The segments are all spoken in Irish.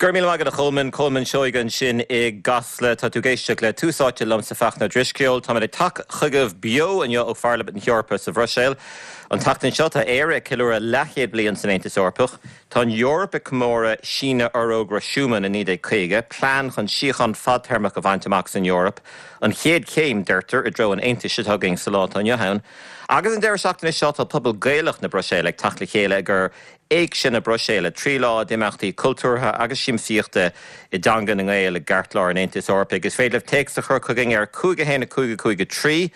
Go raibh míle maith agat a Cholmáin, Colmán Seoighe ansin i gCasla. Tá tú ag éisteacht le Tús Áite liomsa Fachtna Ó Drisceoil. Táimid ag teacht chugaibh beo inniu ó Pharlaimint na hEorpa sa Bhruiséil. An tseachtain seo tá Éire ag ceiliúradh leathchéad bliain san Aontas Eorpach. Tá an Eoraip ag comóradh síneadh Fhorógra Schuman i 1950, plean chun síocháin fadtéarmach a bhaint amach san Eoraip. An chéad chéim, deirtear, i dtreo an Aontais atá againn sa lá atá inniu ann. Agus an deireadh seachtaine seo tá pobal Gaelach na Bruiséile ag teacht le chéile i gcomhair Éigse na Bruiséile, 3 lá d'imeachtaí cultúrtha agus siamsaíochta i dteanga na nGael i gceartlár an Aontais Eorpaigh. Is féidir libh téacs a chur chugainn ar 5 1 5 5 3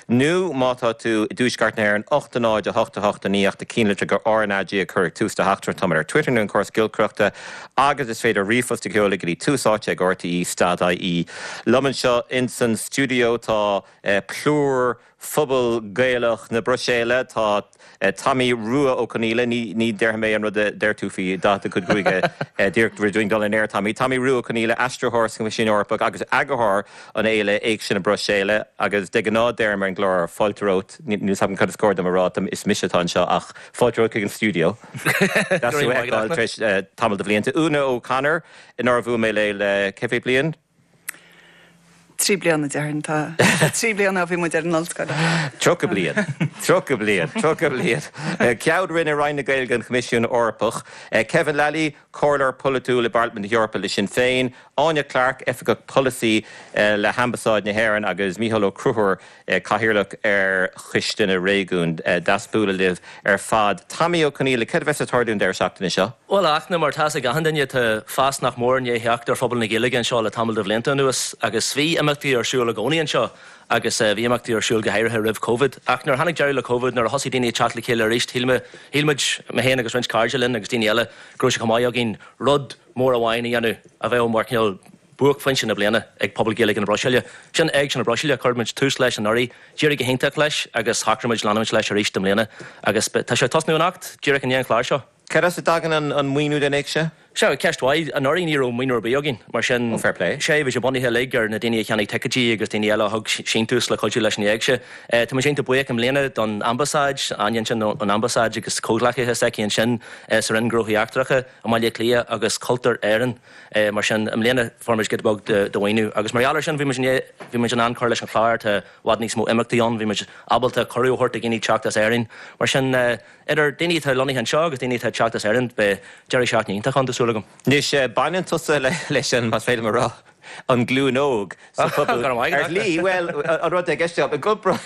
nó má tá tú i dTuaisceart na hÉireann 8 0 8 8 9 ach do chinnlitir go RnaG a chur ag tús do theachtaireacht. Táimid ar Twitter nó an córas giolcaireachta agus is féidir ríomhphost a sheoladh go dtí tús áite ag rte stad ie. Liom anseo insan stiúideo tá plúr phobal Gaelach na Bruiséile, tá Tommy Rua Ó Conghaile, ní déarfaidh mé an rud a deir tú faoi dath do chuid gruaige díreach roimh dúinn dul in aer, Tommy. Tommy Rua Ó Conghaile, aistritheoir sa Choimisiún Eorpach agus eagarthóir an fhéile Éigse na Bruiséile agus de ghnáth deirim ar an gclár fáilte romhat, níl 'fhios agam cad is cóir dom a rá, is mise atá anseo ach fáilte romhat chuig an stiúideo. Deas thú a fheiceáil tar éis tamall de bhlianta. Úna O'Connor, nár bhuail mé léi le cé mhéad bliain? 3 bliana, déarfainn. Tá 3 bliana ó bhí muid ar an ollscoil. 30 bliain. 30 bliain. 30 bliain. Ceann Roinne Roinn na Gaeilge an Choimisiún Eorpach. Kevin Lally, Comhairleoir Polaitiúil i bParlaimint na hEorpa le Sinn Féin. Áine Clarke, Oifigeach Polasaí le hAmbasáid na hÉireann agus Mícheál Ó Conchúir, Cathaoirleach ar Choiste na Réigiún. Deas bualadh libh ar fad. Tommy Ó Conghaile, céard a bheas ag tarlú an deireadh seachtaine seo? Bhuel, a Fhachtna, mar atá 'fhios ag achan duine, tá fás nach mór i ndiaidh theacht ar phobal na Gaeilge anseo le tamall de bhlianta anuas agus bhí imeachtaí ar siúl i gcónaí anseo agus bhí imeachtaí ar siúl go háirithe roimh Covid. Ach nuair a tháinig deireadh le Covid, nuair a thosaigh daoine ag teacht le chéile arís, shíl mé, shíl muid, mé féin agus roinnt cairde linn agus daoine eile, go raibh sé chomh maith againn rud mór amháin a dhéanamh a bheadh mar chineál buaicphointe na bliana ag pobal Gaeilge na Bruiséile. Sin Éigse na Bruiséile, chuir muid tús leis anuraidh, d'éirigh go hiontach leis agus shocraigh muid leanúint leis arís i mbliana agus tá sé ag tosnú anocht, díreach i ndiaidh an chláir seo. Cad as a dtagann an maoiniú don Éigse? Sea, ceist mhaith. Anuraidh ní raibh maoiniú ar bith againn, mar sin, Oh, fair play. sea, bhí sé bunaithe uilig ar na daoine a cheannaigh ticéidí agus daoine eile a thug síntiús le cuidiú leis an Éigse. Tá muid iontach buíoch i mbliana don Ambasáid, Áine ansin ón Ambasáid agus comhghleacaithe s'aici ansin sa Roinn Gnóthaí Eachtracha i mBaile Átha Cliath agus Cultúr Éireann. Mar sin, i mbliana fuair muid giota beag de mhaoiniú agus mar gheall air sin bhí muid bhí muid in ann cur leis an chlár, tá i bhfad níos mó imeachtaí ann, bhí muid ábalta cuireadh a thabhairt do dhaoine teacht as Éirinn. Mar sin, idir daoine atá lonnaithe anseo agus daoine atá ag teacht as Éirinn, beidh deireadh seachtaine iontach ann, tá súil agam. Anois, baineann tusa leis an, más féidir liom a rá, an ghlúin óg sa phobal ar shlí, bhuel, an rud i gceist agam,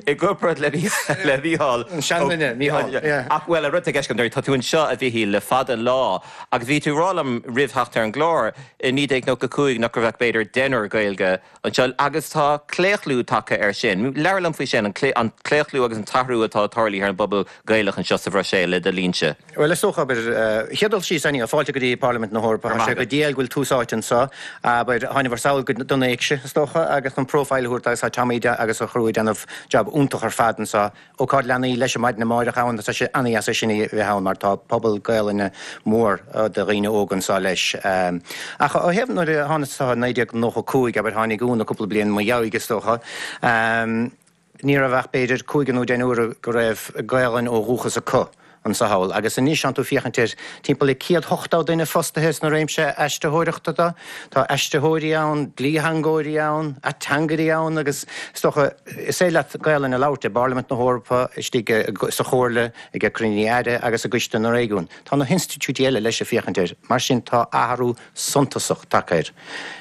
i gcomparáid le Mícheál. An seanduine, Mícheál, yeah. Ach, bhuel, an rud i gceist agam, tá tú anseo, a Mhichíl, le fada an lá agus bhí tú ag rá liom roimh theacht ar an gclár i 1995 nach raibh ach b'fhéidir deichniúr Gaeilge anseo agus tá claochlú tagtha air sin. Labhair liom faoi sin, an claochlú agus an t-athrú atá tarlaithe ar an bpobal Gaelach anseo sa Bhruiséil le do linnse. Bhuel, is dócha, abair, chéad dul síos, Annie, fáilte go dtí Parlaimint na hEorpa. Tá sé go diail go bhfuil Tús Áite anseo. Abair, tháinamar sall go don Éigse, is dócha, agus an profile a thabhairt agus tá Tommy agus a chriú ag déanamh jab iontach ar fad anseo. Ócáid leanaí leis an maidin amáireach ann, tá sé ana-dheas é sin a bheith ann mar tá pobal Gaelainne mór de dhaoine óga anseo leis. Ach ó thaobh nuair a tháinig anseo i 1995, abair, tháinig Úna cúpla bliain i mo dheabhaidh, is dócha. Ní raibh ach b'fhéidir cúigear nó deichniúr go raibh Gaelainn ó dhúchas acu anso thall agus anois tánn tú féachaint ar timpeall le 180 duine fostaithe sna réimse aistritheoireachta do. Tá aistritheoirí ann, dlítheangóirí ann, ateangairí ann agus is dócha is féidir leat Gaelainn a labhairt i bParlaimint na hEorpa, istigh sa Chomhairle, ag cruinnithe Aire agus i gCoiste na Réigiún. Tá na hinstitiúidí eile leis ag féachaint air. Mar sin tá athrú suntasach tagtha air.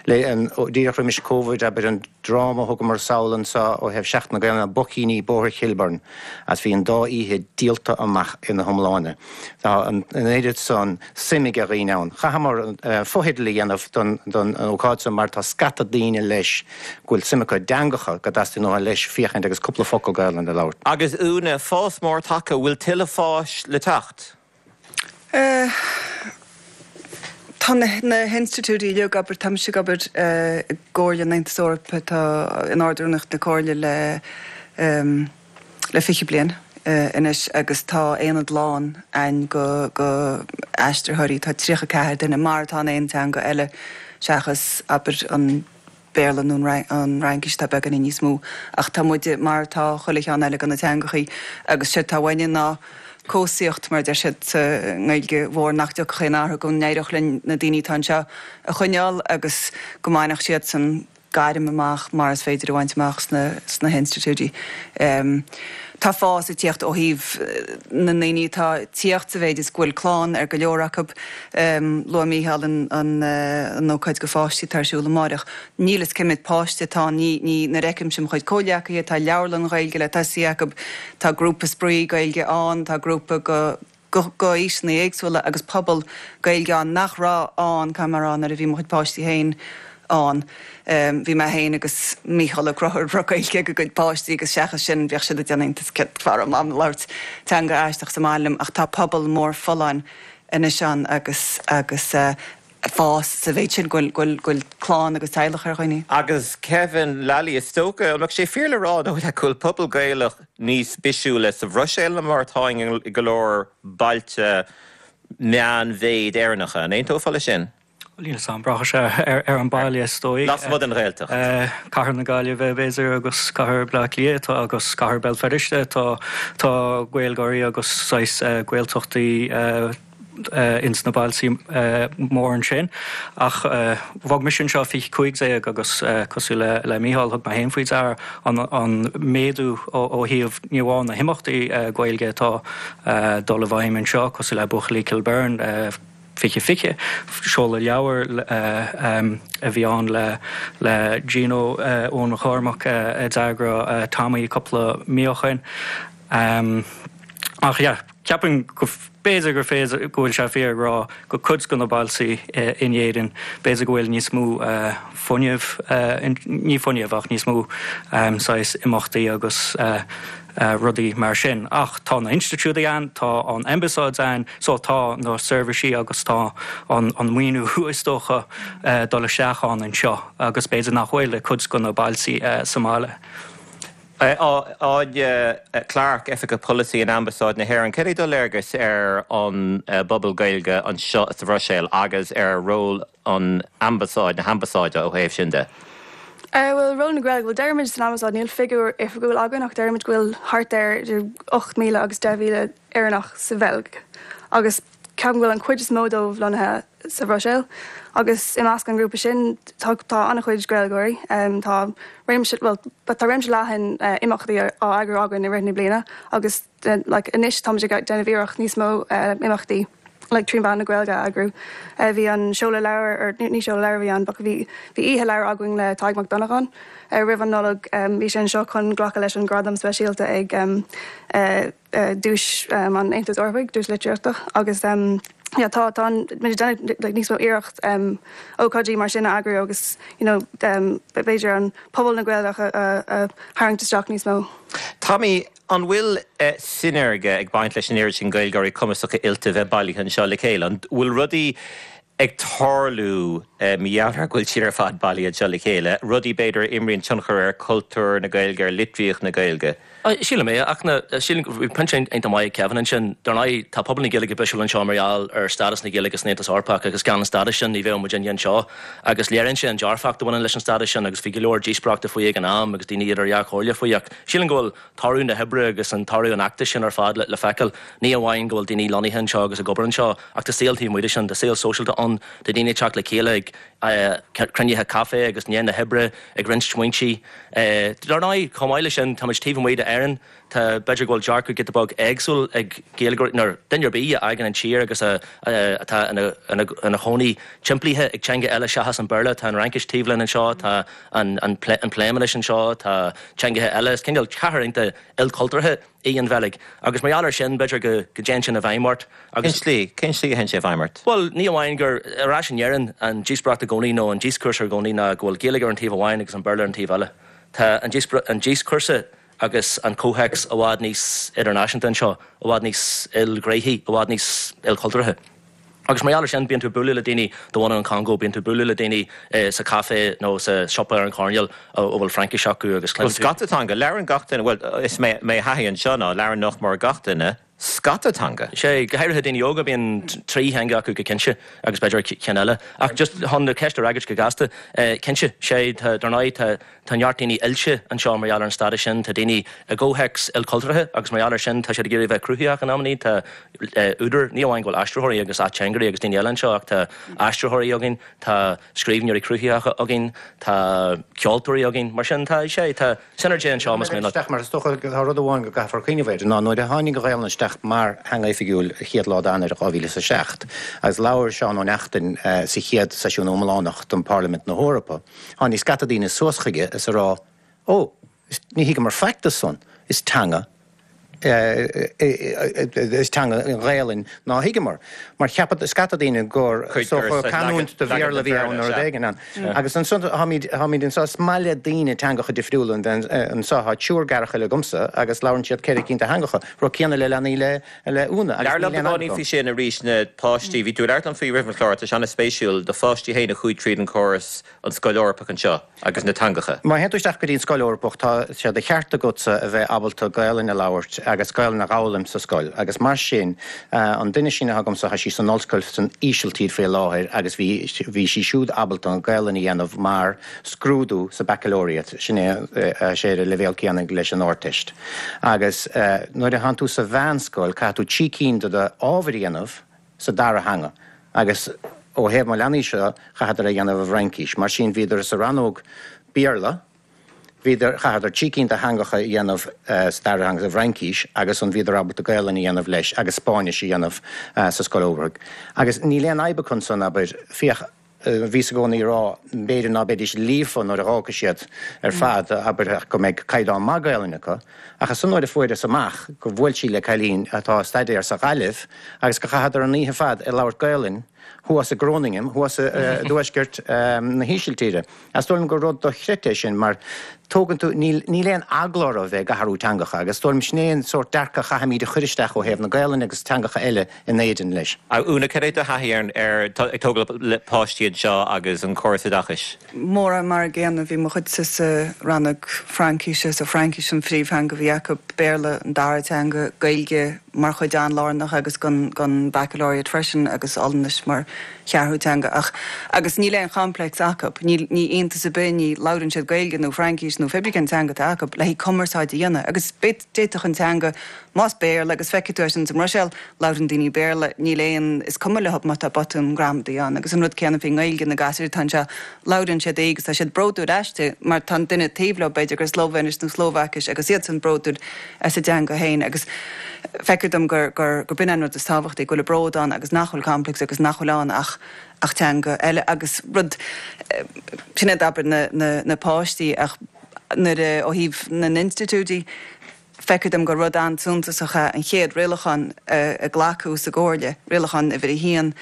Le díreach roimis Covid, abair, an dráma a thugamar sall anseo ó thaobh Seachtain na Gaelainne, Boicíní Bóthar Chilburn, agus bhí an dá oíche díolta amach ina hiomláine. Tá an oiread san suim ag dhaoine ann. Chaitheamar fotheidil a dhéanamh don don ócáid san mar tá scata daoine leis go bhfuil suim acu i dteangacha go dteastaíonn uathu leis féachaint agus cúpla focal Gaelainne a labhairt. Agus Úna, fás mór tagtha, bhfuil tuilleadh fáis le teacht? Tá na hinstitiúidí uilig, abair, tá mise ag obair i gComhairle an Aontais Eorpaigh, tá in Ard-Rúnaíocht na Comhairle le le 20 bliain anois agus tá aonad lán a'inn go go aistritheoirí, tá 34 duine mar atá in aon teanga eile seachas, abair, an. Béarla nó an Fhraincis atá beagáinín níos mó ach tá muide mar atá chuile cheann eile de na teangachaí agus séard atá uainne ná cobhsaíocht mar a deir siad sa nGaeilge mhór nach dtiocfadh aon athrú go n-éireodh linn na daoine atá anseo a choinneáil agus go mbainfeadh siadsan gairm amach mar is féidir a bhaint amach sna hinstitiúidí. Tá fás ag tíocht ó thaobh na ndaoine atá ag tíocht sa mhéid is go bhfuil clann ar go leor acu. Luaigh Mícheál an ócáid do pháistí atá ar siúl amáireach. Níl fhios cé mhéad páiste atá ann, ní, nuair a fheicimse mo chuid comhghleacaithe, tá leabharlann Ghaeilge le tosaí acu, tá grúpa spraoi Gaeilge ann, tá grúpa go. go aoiseanna éagsúla agus pobal Gaeilge ann nach raibh ann, caithfidh mé a rá, nuair a bhí mo chuid páistí féin ann. Bhí mé féin agus Mícheál Ó Conchúir ag rá Gaeilge ag a gcuid páistí agus seachas sin bhíodh siad ag déanamh iontas céard fáth a raibh Mam ag labhairt teanga aisteach sa mbaile liom ach tá pobal mór folláin anois ann agus agus fás sa mhéid sin go bhfuil go bhfuil clann agus teaghlach ar dhaoine. Agus Kevin Lally, is dócha, an mbeadh sé fíor le rá nó go bhfuil pobal Gaelach níos bisiúla sa Bhruiséil ná mar atá i go leor bailte meánmhéid Éireannacha? An aontófá leis sin? Bhuel, níl 'fhios a'm, braitheann sé ar an baile is dóigh. Lasmuigh den Ghaeltacht. Cathair na Gaillimhe, b'fhéidir, agus cathair Bleá Cliath agus cathair Béal Feirste, tá tá Gaeilgeoirí agus saghas Gaeltachtaí ins na bailtí mór ansin. Ach bhog mise anseo 2015 agus cosúil le le Mícheál thug mé féin faoi deara an an méadú ó thaobh ní amháin na himeachtaí Gaeilge atá dul i bhfeidhm anseo cosúil le Buachaillí Kilbirnie 2020, seoladh leabhair a bhí ann le le Gino Eoin Mac Cormaic a d'eagraigh Tommy cúpla mí ó shoin. Ach yeah, ceapaim go b'fhéidir gur féidir, go bhfuil sé fíor ag rá go cuid de na bailtí in Éirinn, b'fhéidir go bhfuil níos mó fuinnimh, ní fuinneamh ach níos mó saghas imeachtaí agus rudaí mar sin. Ach tá na hinstitiúidí ann, tá an ambasáid ann, so tá na seirbhísí agus tá an maoiniú is dócha dul isteach ann anseo agus b'fhéidir nach bhfuil i cuid de na bailtí sa mbaile. Áine Clarke, Oifigeach Polasaí in Ambasáid na hÉireann, céard é do léargas ar an bpobal Gaeilge anseo sa Bhruiséil agus ar ról an Ambasáid, na hAmbasáide ó thaobh sin de? Bhuel, ról na Gaeilge, bhuel deirimid san Ambasáid, níl figiúr oifigiúil againn ach deirimid go bhfuil thart ar idir 8,000 agus 10,000 Éireannach sa Bheilg agus ceapaim go bhfuil an chuid is mó dóibh lonnaithe sa Bhruiséil agus i measc an ghrúpa sin tá tá an-chuid Gaeilgeoirí. Tá réimse, bhuel, tá réimse leathan imeachtaí á eagrú againn i rith na bliana agus like anois táimid ag déanamh iarracht níos mó imeachtaí like trí mheán na Gaeilge a eagrú. Bhí an seoladh leabhar, or ní seoladh leabhar a bhí ann but bhí bhí oíche leabhar againn le Tadhg Mac Dhonnagáin roimh an Nollaig. Bhí sé anseo chun glacadh leis an gradam speisialta ag Duais an Aontais Eorpaigh, Duais Litríochta, agus yeah tá tá muid ag déanamh like níos mó iarracht ócáidí mar sin a eagrú agus you know b'fhéidir an pobal na Gaeilge a a tharraingt isteach níos mó. Tommy, an bhfuil sineirge ag baint leis an oiread sin Gaeilgeoirí cumasacha oilte bheith bailithe anseo le chéile? An bhfuil rudaí ag tarlú mar gheall ar go bhfuil siad ar fad bailithe anseo le chéile, rudaí b'fhéidir a imríonn tionchar ar chultúr na Gaeilge, ar litríocht na Gaeilge. Sílim é, ach na, sílim go, bhí pointe iontach maith ag Kevin ansin. Dar ndóigh, tá pobal na Gaeilge bisiúil anseo mar gheall ar stádas na Gaeilge san Aontas Eorpach agus gan an stádas sin ní bheadh muidinne anseo. Agus léiríonn sé an dearfacht a bhaineann leis an stádas sin agus bhí go leor díospóireachta faoi ag an am agus daoine idir dhá chomhairle faoi ach sílim go bhfuil toradh na hoibre agus an toradh an fheachtais sin ar fad le feiceáil. Ní amháin go bhfuil daoine lonnaithe anseo agus ag obair anseo, ach tá saol taobh amuigh de sin, tá saol sóisialta ann, tá daoine ag teacht le chéile ag cruinnithe caife agus i ndiaidh na hoibre, ag roinnt smaointe. Dar ndóigh, chomh maith leis sin, táimid taobh amuigh d'Éirinn, tá, b'fhéidir go bhfuil dearcadh giota beag éagsúil ag Gaeilgeoirí, nó duine ar bith a fhágann an tír agus atá ina chónaí timpeallaithe ag teanga eile seachas an Béarla, tá an Fhraincis taobh linn anseo, tá an Phléimeannais anseo, tá teangacha eile. Is cineál cathair iontach ilchultúrtha í an Bheilg agus mar gheall air sin b'fhéidir go dtéann sin i bhfeidhm ort agus. Cén tslí? Cén tslí a théann sé i bhfeidhm ort? Bhuel, ní amháin gur ar ais in Éirinn an díospóireacht i gcónaí nó an díoscúrsa i gcónaí ná go bhfuil Gaeilge ar an taobh amháin agus an Béarla ar an taobh eile. Tá an díoscúrsa agus an comhthéacs i bhfad níos idirnáisiúnta anseo, i bhfad níos ilghnéithí, i bhfad níos ilchultúrtha. Agus mar gheall air sin, bíonn tú ag bualadh le daoine de bhunadh an Chongó, bíonn tú ag bualadh le daoine sa chaifé nó sa siopa ar an choirnéal a bhfuil Fraincis acu agus cluineann tú. Bhuel, scata teanga, labhrann gach duine, bhuel, is mé mo thaithí anseo ná labhrann nach mór gach duine. scata teanga. Sea, go háirithe daoine óga, bíonn 3 theanga acu go cinnte agus b'fhéidir ceann eile. Ach just chun na ceist a fhreagairt go gasta, cinnte, sea, tá, dar ndóigh, tá, tá neart daoine oilte anseo mar gheall ar an stádas sin, tá daoine i gcomhthéacs ilchultúrtha agus mar gheall air sin tá siad ag iarraidh a bheith cruthaitheach in amannaí, tá údair, ní amháin go bhfuil aistritheoirí agus ateangairí agus daoine eile anseo ach tá aistritheoirí againn, tá scríbhneoirí cruthaitheacha againn, tá ceoltóirí againn, mar sin tá, sea, tá sineirge anseo más mian leat. Isteach mar is dócha tá rud amháin go gcaithfear cuimhneamh air ná nuair a tháinig an Ghaelainn isteach mar theanga oifigiúil an chéad lá d'Eanáir 2007 agus labhair Seán Ó Neachtain sa chéad seisiún iomlánach den Pharlaimint na hEorpa, tháinig scata daoine suas chuige is a rá Ó, ní thuigeamar faic de san, is teanga is teanga an Ghaelainn ná thuigeamar. Mar cheap scata daoine gur canúint de Bhéarla a bhí ann nó rud éigin ann. Agus ansan táimid táimid anso, is maith le daoine teangacha difriúla anso. Tá triúr garchaille agamsa agus labhrann siad ceithre cinn de theangacha, rud céanna le leanaí le le Úna agus Labhair níl liom aon beagáinín fhadhb faoi acu. sin arís, na páistí, bhí tú ag labhairt liom faoi roimh an chlár, tá sé an-spéisiúil, do pháistí féin a chuaigh tríd an chóras an Scoil Eorpach anseo agus na teangacha. Má théann tú isteach go dtí an Scoil Eorpach tá sé de cheart agatsa a bheith ábalta Gaelainn a labhairt agus Gaelainn a dh'fhoghlaim sa scoil agus mar sin an duine sin atá agamsa tá sí san ollscoil san Ísiltír faoi láthair agus bhí bhí sí siúd ábalta an Ghaelainn a dhéanamh mar scrúdú sa Baccalaureate, sin é sé ar an leibhéal céanna leis an Ardteist. Agus nuair a thánn tú sa mheánscoil caithfidh tú trí cinn de do ábhair a dhéanamh sa dara theanga agus ó thaobh mo leanaí seo chaitheadar é a dhéanamh i bhFraincís. Mar sin bhíodar sa rannóg Béarla, bhíodar, chaitheadar trí cinn de theangacha a dhéanamh sa dara theanga sa bhFraincís agus an bhíodar ábalta Gaelainn a dhéanamh leis agus Spáinnis a dhéanamh sa scoil Eorpach. Agus níl aon fhadhb acu ansan, abair, féach, Bhíos i gcónaí ag rá, b'fhéidir ná beidís líofa nuair a dh'fhágfaidh siad ar fad, abair, ach go mbeidh caighdeán maith Gaelainne acu. Ach ansan nuair a fuaireas amach go bhuail sí le cailín atá ag staidéar sa Ghaillimh agus go chaitheadar an oíche ar fad ag labhairt Gaelainn thuas i Groningen, thuas i dtuaisceart na hÍsiltíre. Is dóigh liom gur rud dochreidte é sin mar tógann tú, níl, níl aon eagla orthu a bheith ag athrú teangacha agus is dóigh liom sin é an sórt dearcadh a chaithfimid a chur isteach ó thaobh na Gaelainne agus teangacha eile in Éirinn leis. A Úna, cad é do thaithí ar, ar, ag tógáil le páistí anseo agus an córas oideachais? Mórán mar an gcéanna, bhí mo chuidse sa rannóg Fraincíse, so Fraincis an phríomhtheanga a bhí acu, Béarla an dara teanga, Gaeilge mar chuid an-lárnach agus den, den Baccalaureate freisin agus Ollainnis mar cheathrú teanga ach agus níl aon chomplex acu, níl ní iontas ar bith, ní labhrann siad Gaeilge nó Fraincís nó pé brí cén teanga atá acu le haghaidh cumarsáid a dhéanamh agus d'fhéadfadh an teanga, más Béarla agus feicfidh tú é sin sa mBruiséil, labhrann daoine Béarla, níl aon, is cuma leo má tá botún gramadaí ann agus an rud céanna faoin nGaeilge, na gasúir atá anseo, labhrann siad í agus tá siad bródúil aisti mar tá an duine taobh leo b'fhéidir gur Slóivéinis nó Slóvaicis agus iadsan bródúil as a dteanga féin agus feictear dom gur gur gur b'in an rud is tábhachtaí, go bhfuil an bród ann agus nach bhfuil complex agus nach bhfuil ann ach ach teanga eile agus rud sin é d'abair na na na páistí ach nuair a ó thaobh na n-institiúidí feictear dom gur rud an-suntasach é an chéad rialachán a glacadh sa gComhairle, rialachán uimhir a haon,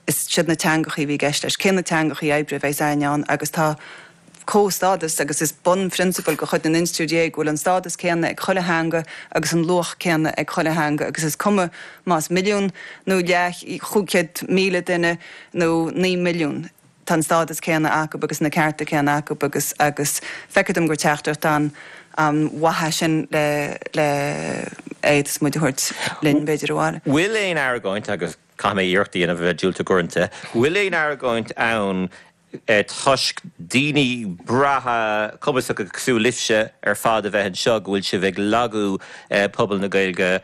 is siad na teangachaí a bhí i gceist leis, cé na teangachaí oibre a bheas againn ann agus tá comhstádas agus is bunphrionsabal de chuid na n-institiúidí é go bhfuil an stádas céanna ag chuile theanga agus an luach céanna ag chuile theanga agus is cuma más milliún nó leath 500,000 duine nó 9 milliún. tá an stádas céanna acu agus na cearta céanna acu agus agus feictear dom gur teachtaireacht an an-mhaith é sin le le a fhéadfas muid a thabhairt linn b'fhéidir abhaile. Bhfuil aon argóint, agus caithfidh mé iarracht a dhéanamh a bheith diúltach uaireanta, bhfuil aon argóint ann toisc daoine breátha cumasacha cosúil libhse ar fad a bheith anseo go bhfuil sibh ag lagú pobal na Gaeilge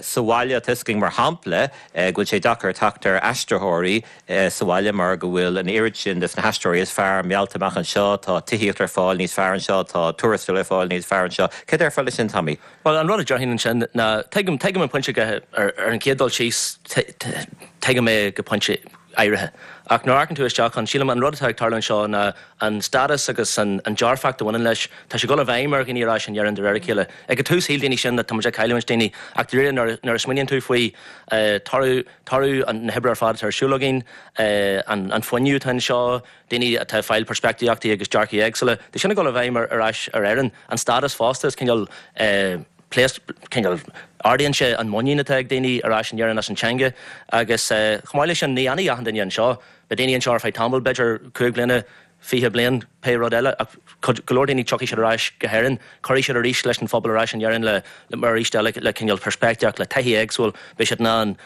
sa bhaile? Tá a fhios againn mar shampla go bhfuil sé deacair teacht ar aistritheoirí sa bhaile mar go bhfuil an oiread sin des na haistritheoirí is fearr meallta amach anseo, tá tithíocht ar fáil níos fearr anseo, tá tuarastal ar fáil níos fearr anseo. Céard a déarfá leis sin, Tommy? Bhuel, an rud a déarfainn ansin ná, tuigim, tuigim an pointe go, ar an chéad dul síos, tuigim é go pointe áirithe. Ach nuair a amharcann tú isteach ann, sílim an rud atá ag tarlú anseo ná an stádas agus an dearfacht a bhaineann leis, tá sé ag dul i bhfeidhm ar dhaoine ar ais in Éirinn de réir a chéile. Ag an tús shíl daoine sin that tá muid ag cailliúint daoine ach de réir nuair a smaoiníonn tú faoi toradh, Toradh na hoibre ar fad atá ar siúl againn, an fuinneamh atá anseo, daoine atá ag fáil peirspictíochtaí agus dearcaí éagsúla, tá sin ag dul i bhfeidhm ar ais ar Éirinn. An stádas fosta, is cineál pléasc, cineál, ardaíonn sé an muinín atá ag daoine ar ais in Éirinn as an teanga agus chomh maith leis sin, ní fhanfaidh achan duine anseo. Beidh daoine anseo ar feadh tamaill, b'fhéidir 5 bliana. 20 bliain, pé rud eile, ach go leor daoine tiocfaidh siad ar ais go hÉirinn, cuirfidh siad arís leis an phobal ar ais in Éirinn le, mar arís eile, le cineál peirspictíocht, le taithí éagsúil, beidh siad in ann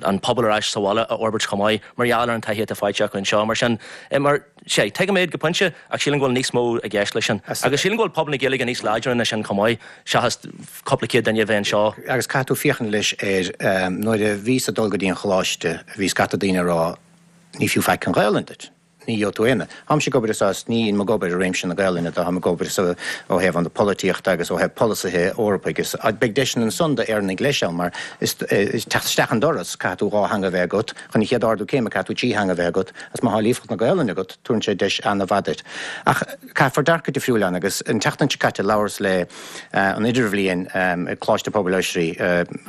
an pobal ar ais sa bhaile a fhorbairt chomh maith mar gheall ar an taithí atá faighte acu anseo. Mar sin, mar, sea, tuigim iad go pointe ach sílim go bhfuil níos mó i gceist leis sin. Agus sílim go bhfuil pobal na Gaeilge níos láidre ná sin chomh maith, seachas cúpla céad duine a bheith anseo. Agus caithfidh tú féachaint leis ar, nuair a bhíos ag dul go dtí an choláiste, bhí scata daoine ag rá, Ní fiú faic an Ghaelainn duit. Ní gheobhaidh tú aon. Táimse ag obair is as, ní ag obair i réimse na Gaelainne, táim ag obair sa, ó thaobh an polaitíochta agus ó thaobh polasaithe Eorpaigh is, beidh deiseanna ansan d'Éireannaigh leis ann mar is, teacht isteach an doras, caithfidh tú 2 theanga a bheith agat, chun an chéad ardú céime caithfidh tú 3 theanga a bheith agat agus má thá líofacht na Gaelainne agat, tabharann sé deis ana-mhaith duit. Ach caithfear dearcadh difriúil ann agus an tseachtain seo caite labhras le an idirbhliain ag Coláiste Pobail Oisrí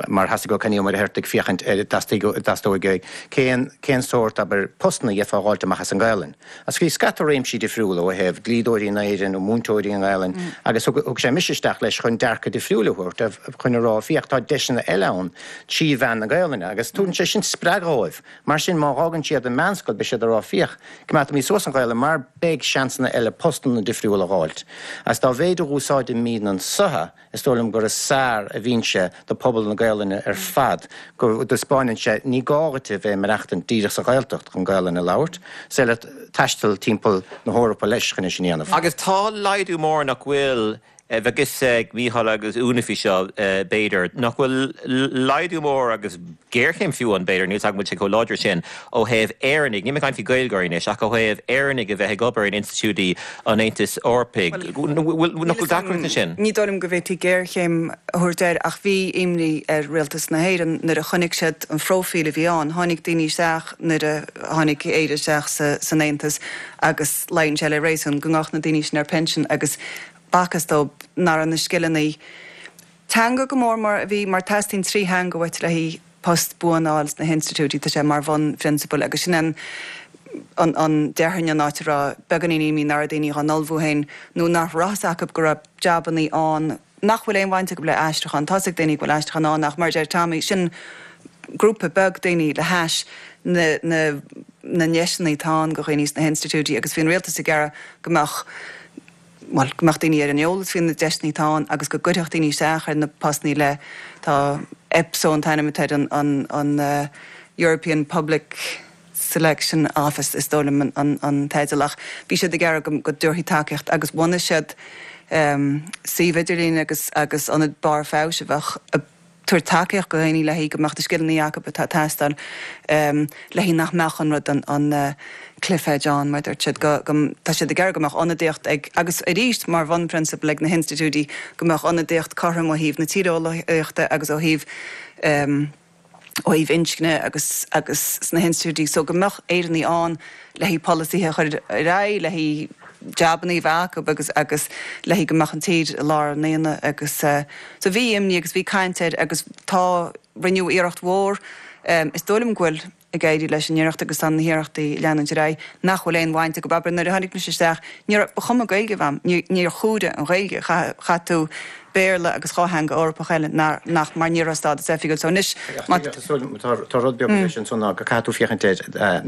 mar theastaigh ó Kenny Ó Muircheartaigh féachaint ar dteastóidh cén cén sórt, abair, postanna a gheofá a dh'fháilt amach as an nGaelainn. Agus bhí scata réimsí difriúla ó thaobh dlíodóirí in Éirinn nó múinteoirí i nGaelainn agus thug thug sé mise isteach leis chun dearcadh difriúil a thabhairt chun a rá féach tá deiseanna eile ann trí mheán na Gaelainne agus tugann sé sin spreagadh dhóibh. Mar sin má dh'fhágann siad an meánscoil beidh siad ag rá féach, coimeádfaimid suas an Ghaelainn mar beidh seansanna eile postanna difriúla a dh'fháilt. Agus dá mhéid a dh'úsáidimíd anso is dóigh liom gur is fearr a bhíonn sé do pobal na Gaelainne ar fad, go dtaispeáineann sé ní gá dhuit a bheith ag maireachtaint díreach sa Ghaeltacht chun Gaelainn a labhairt, is féidir leat taisteal timpeall na hEorpa leis chun é sin a dhéanamh. Agus tá laghdú mór nach bhfuil Bheadh fhios ag Mícheál agus Úna faoi seo, b'fhéidir, nach bhfuil laghdú mór agus géarchéim fiú ann, b'fhéidir, níl 's agam an bhfuil sé chomh láidir sin, ó thaobh Éireannaigh, níl mé ag caint faoi Ghaeilgeoirí anois, ach ó thaobh Éireannaigh a bheith ag obair in institiúidí an Aontais Eorpaigh. Nach bhfuil deacracht ansin? Ní dóigh liom go bhféadfaí géarchéim a thabhairt air ach bhí imní ar Rialtas na hÉireann nuair a chonaic siad an phróifíl a bhí ann. Tháinig daoine isteach nuair a tháinig Éire isteach san Aontas agus luíonn sé le réasún go ngabhadh na daoine sin ar pinsean agus b'fhacthas dóibh nach raibh na scileanna teanga go mór mar a bhí, mar teastaíonn 3 theanga uait le haghaidh post buan a fháil sna hinstitiúidí, tá sé mar bhunphrionsabal agus sin an an déarfainn an áit a raibh beagáinín imní nach raibh daoine dhá n-ullmhú féin nó nach raibh fhios acu go raibh jabannaí ann nach bhfuil aon bhaint acu le aistriúchán. Tá's ag daoine go bhfuil aistriúchán ann ach mar a deir Tommy, sin grúpa beag daoine le hais na na na ndeiseanna atá ann go dhaoine sna hinstitiúidí agus bhí an rialtas ag iarraidh go mbeadh bhuel, go mbeadh daoine ar an eolas faoi na deiseanna atá ann agus go gcuirfeadh daoine isteach ar na postannaí le, tá EPSO an t-ainm atá ar an, an European Public Selection Office is dóigh liom an teideal ach bhí siad ag iarraidh go, go dtabharfaí tacaíocht agus bhunaigh siad suíomh idirlín agus, agus ionad barr feabhais a bheadh ag tabhairt tacaíocht go dhaoine le haghaidh go mbeadh na scileanna acu atá ag teastáil le haghaidh nach mbeadh an rud an cliff edge ann mar dúirt siad go go tá siad ag iarraidh go mbeadh ionadaíocht ag agus arís mar bhunphrionsabal ag na hinstitiúidí go mbeadh ionadaíocht cothrom ó thaobh na tíreolaíochta agus ó thaobh ó thaobh inscne agus agus sna hinstitiúidí so go mbeadh Éireannaigh ann le haghaidh polasaithe a chur ar aghaidh, le haghaidh jabannaí a bheith acu agus agus le haghaidh go mbeadh an tír i lár an aonaigh agus so bhí imní agus bhí caint air agus tá, rinneadh iarracht mhór, is dóigh liom go bhfuil ag éirí leis an iarracht agus tá na hiarrachtaí ag leanúint ar aghaidh, nach bhfuil aon bhaint acu, abair nuair a tháinig mise isteach, ní raibh, ba chuma Gaeilge a bheith a'm, níor chomhaireadh an Ghaeilge, chaith tú Béarla agus 2 theanga Eorpach eile nach mar ní raibh stádas oifigiúil so anois má Tá rud beag leis ansan ná go caithfidh tú féachaint air,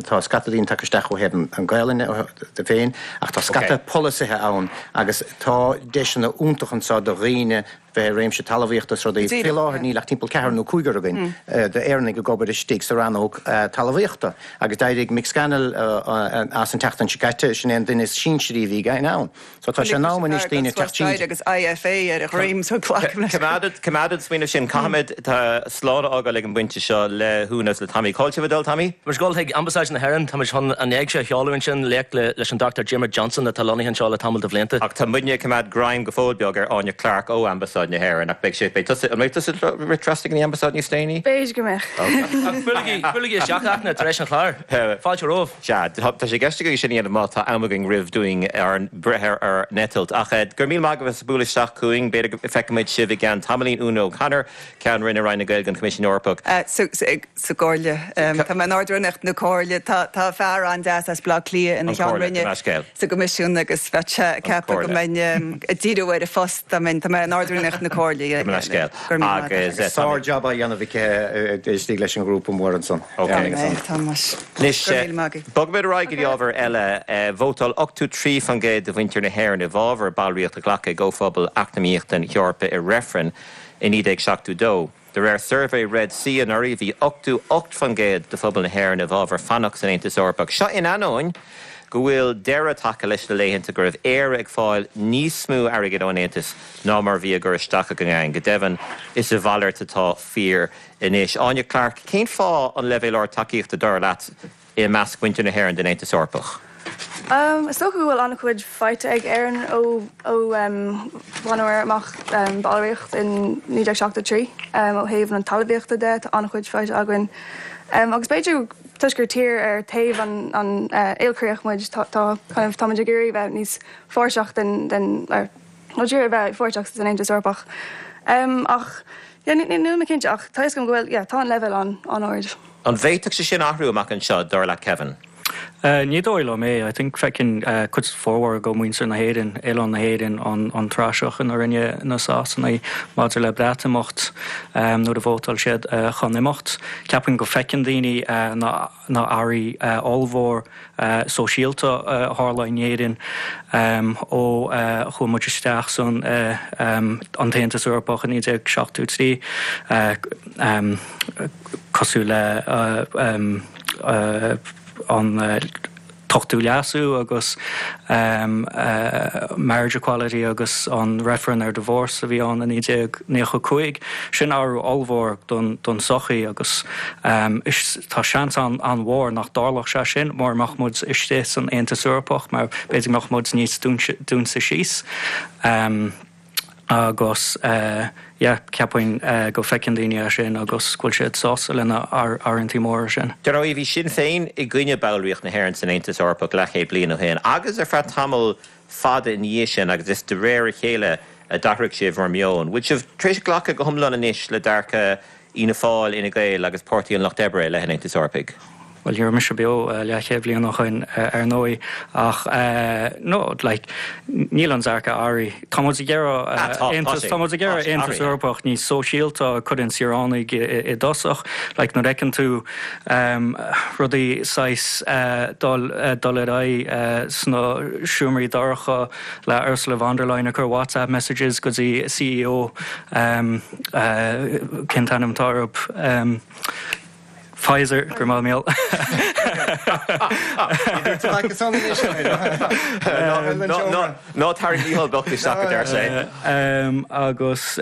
tá scata daoine tagtha isteach ó thaobh an Ghaelainne de féin ach tá scata polasaithe ann agus tá deiseanna iontach anso do dhaoine bheith i réimse talmhaíochta is rudaí. Faoi láthair níl ach timpeall ceathrar nó cúigear againn d'Éireannaigh ag obair istigh sa rannóg talmhaíochta agus d'éirigh Mick Scannell as an tseachtain seo caite, sin é an duine is sinsearaí a bhí againn ann. So tá sé in am anois daoine teacht tríd. Agus IFA ar a dhroim so glacaim leis. Coimeád an smaoineamh sin. Caithfimid slán a fhágáil ag an bpointe seo le hÚna agus le Tommy. Cá bhfuil sibh ag dul, Tommy? Tá muid ag dul chuig Ambasáid na hÉireann. Tá muid chun an éigse a sheoladh ansin, léacht leis an Dr Diarmuid Johnson atá lonnaithe anseo le tamall de bhlianta. Ach tá muidne ag coimeád greim go fóill beag ar Áine Clarke ó Ambasáid na hÉireann. Ach beidh sé, beidh tusa, an mbeidh tusa ag rith trasna go dtí an Ambasáid níos déanaí? B'fhéidir go mbeadh. Ach buailigí, buailigí isteach, Fhachtna, tar éis an chláir. Fáilte romhaibh. Sea, tá sé i gceist againn sin a dhéanamh má tá am againn roimh dúinn ár breith ar ár n-eitilt. Ach go raibh míle maith agaibh as bualadh isteach chugainn. B'fhéidir go bhfeicfimid sibh i gceann tamaillín. Úna O'Connor, Ceann Roinne Roinn na Gaeilge an Choimisiúin Eorpaigh. Sa gComhairle. Tá mé in Ard-Rúnaíocht na Comhairle. Tá fear an-deas as Baile Átha Cliath ina Cheann Roinne sa gCoimisiún agus bheadh sé ag ceapadh go mbeinn ag díriú ar an phost dá mbeinn. Tá mé in Ard-Rúnaíocht. Ard-Rúnaíocht na Comhairle, yeah. Gabh mo leithscéal. Go raibh míle maith agat. Agus Sár-jab á dhéanamh aici istigh leis an ghrúpa mór ansan. Ok. Tá mé, tá muid. Anois, Go raibh míle maith agaibh. bogfaimid ar aghaidh go dtí ábhar eile. Vótáil 83% de mhuintir na hÉireann i bhfabhar ballraíocht a ghlacadh i gComhphobal Eacnamaíochta na hEorpa i reifreann i 1972. De réir suirbhé Red C anuraidh, bhí 88% de phobal na hÉireann i bhfabhar fanacht san Aontas Eorpach. Seo in ainneoin go bhfuil deireadh tagtha leis na laethanta go raibh Éire ag fáil níos mó airgid ón Aontas ná mar a bhí á gcur isteach againn. Go deimhin, is a mhalairt atá fíor anois. Áine Clarke, cén fáth an leibhéal ard tacaíochta, dar leat, i measc mhuintir na hÉireann den Aontas Eorpach? Is dócha go bhfuil an-chuid faighte ag Éirinn ó bhaineamar amach ballraíocht in 1973. Ó thaobh na talmhaíochta de, tá an-chuid faighte againn. Agus b'fhéidir toisc gur tír ar taobh an ilchríoch muid, tá kind of táimid ag iarraidh bheith níos páirteach den den nó ag iarraidh bheith páirteach san Aontas Eorpach. Ach yeah níl mé cinnte ach tá a fhios agam go bhfuil yeah tá an leibhéal an-ard. An bhféadfadh sé sin athrú amach anseo, dar leat Kevin? Ní dóigh liom é. I think feiceann cuid formhór de mhuintir na hÉireann, oileán na hÉireann, an praiseach ina rinne na Sasanaigh maidir le Breatimeacht nuair a vótáil siad chun imeacht. Ceapaim go feiceann daoine na na athruithe ollmhór sóisialta a tharla in Éirinn ó chuaigh muid isteach san an tAontas Eorpach i 1973. cosúil le an tOchtú Leasú agus marriage equality agus an reifreann ar divorce a bhí ann i 1995. Sin athrú ollmhór don tsochaí agus tá seans an-mhór nach dtarlódh sé sin mura mbeadh muid istigh san Aontas Eorpach mar b'fhéidir go mbeadh muid níos dúnta síos. Agus yeah, ceapaim go bhfeiceann daoine é sin agus go bhfuil siad sásta le na athruithe móra sin. Dar ndóigh, bhí Sinn Féin i gcoinne ballraíocht na hÉireann san Aontas Eorpach leathchéad bliain ó shin agus ar feadh tamall fada ina dhiaidh sin agus is de réir a chéile a d'athraigh sibh bhur meon. Bhfuil sibh tar éis glacadh go hiomlán anois le dearcadh Fhianna Fáil, Fhine Gael agus Páirtí an Lucht Oibre i leith an Aontais Eorpaigh. Bhuel, ní raibh mise beo leathchéad bliain ó shoin, ar ndóigh, ach no, like, níl an dearcadh athraithe. Tá muid ag iarraidh Aontas, tá muid ag iarraidh Aontas Eorpach níos sóisialta a chuireann saoránaigh i dtosach. Like, nuair a fheiceann tú rudaí saghas dul dul ar aghaidh sna seomraí dorcha le Ursula von der Leyen ag cur WhatsApp messages go dtí CEO Cén t-ainm atá orthu? Pfizer, go raibh maith agat. Ná tarraing Mícheál bocht isteach, a deir sé. Agus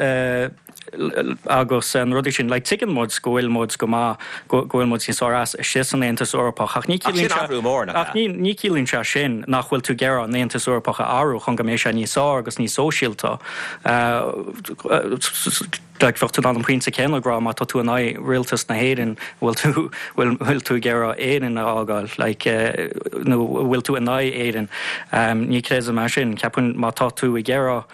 agus na rudaí sin, like tuigeann muid go bhfuil muid go maith, go bhfuil muid níos fearr as istigh san Aontas Eorpach ach ní ciallaíonn sé, ach ní ciallaíonn sé sin nach bhfuil tú ag iarraidh an Aontas Eorpach a athrú chun go mbeidh sé níos fearr agus níos sóisialta. Like bheadh tú in ann an pointe céanna ag rá má tá tú in aghaidh rialtas na hÉireann, bhfuil tú, bhfuil, bhfuil tú ag iarraidh Éirinn a fhágáil, like, nó bhfuil tú in aghaidh Éireann? Ní chreidim é sin. Ceapaim má tá tú ag iarraidh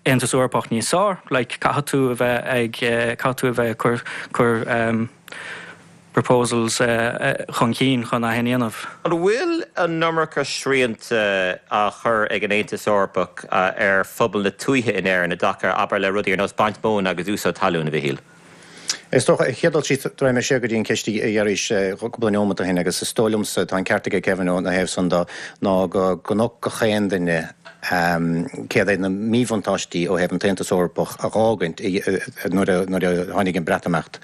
Aontas Eorpach níos fearr, like, caithfidh tú a bheith ag, caithfidh tú a bheith ag cur, cur, proposals chun cinn chun é sin a dhéanamh. An bhfuil an iomarca srianta á chur ag an Aontas Eorpach ar phobal na tuaithe in Éirinn i dtaca, abair, le rudaí ar nós baint móna agus úsáid talún, a Mhichíl? Is dócha, chéad dul síos, raghaidh mé siar go dtí an cheist a d'iarrais cúpla neomat ó shin agus is dóigh liomsa, tá an ceart aige Kevin ó na thaobh san de, ná go gconac gach aon duine céard iad na míbhuntáistí ó thaobh an tAontas Eorpach a dh'fhágaint nuair a tháinig an Breatimeacht.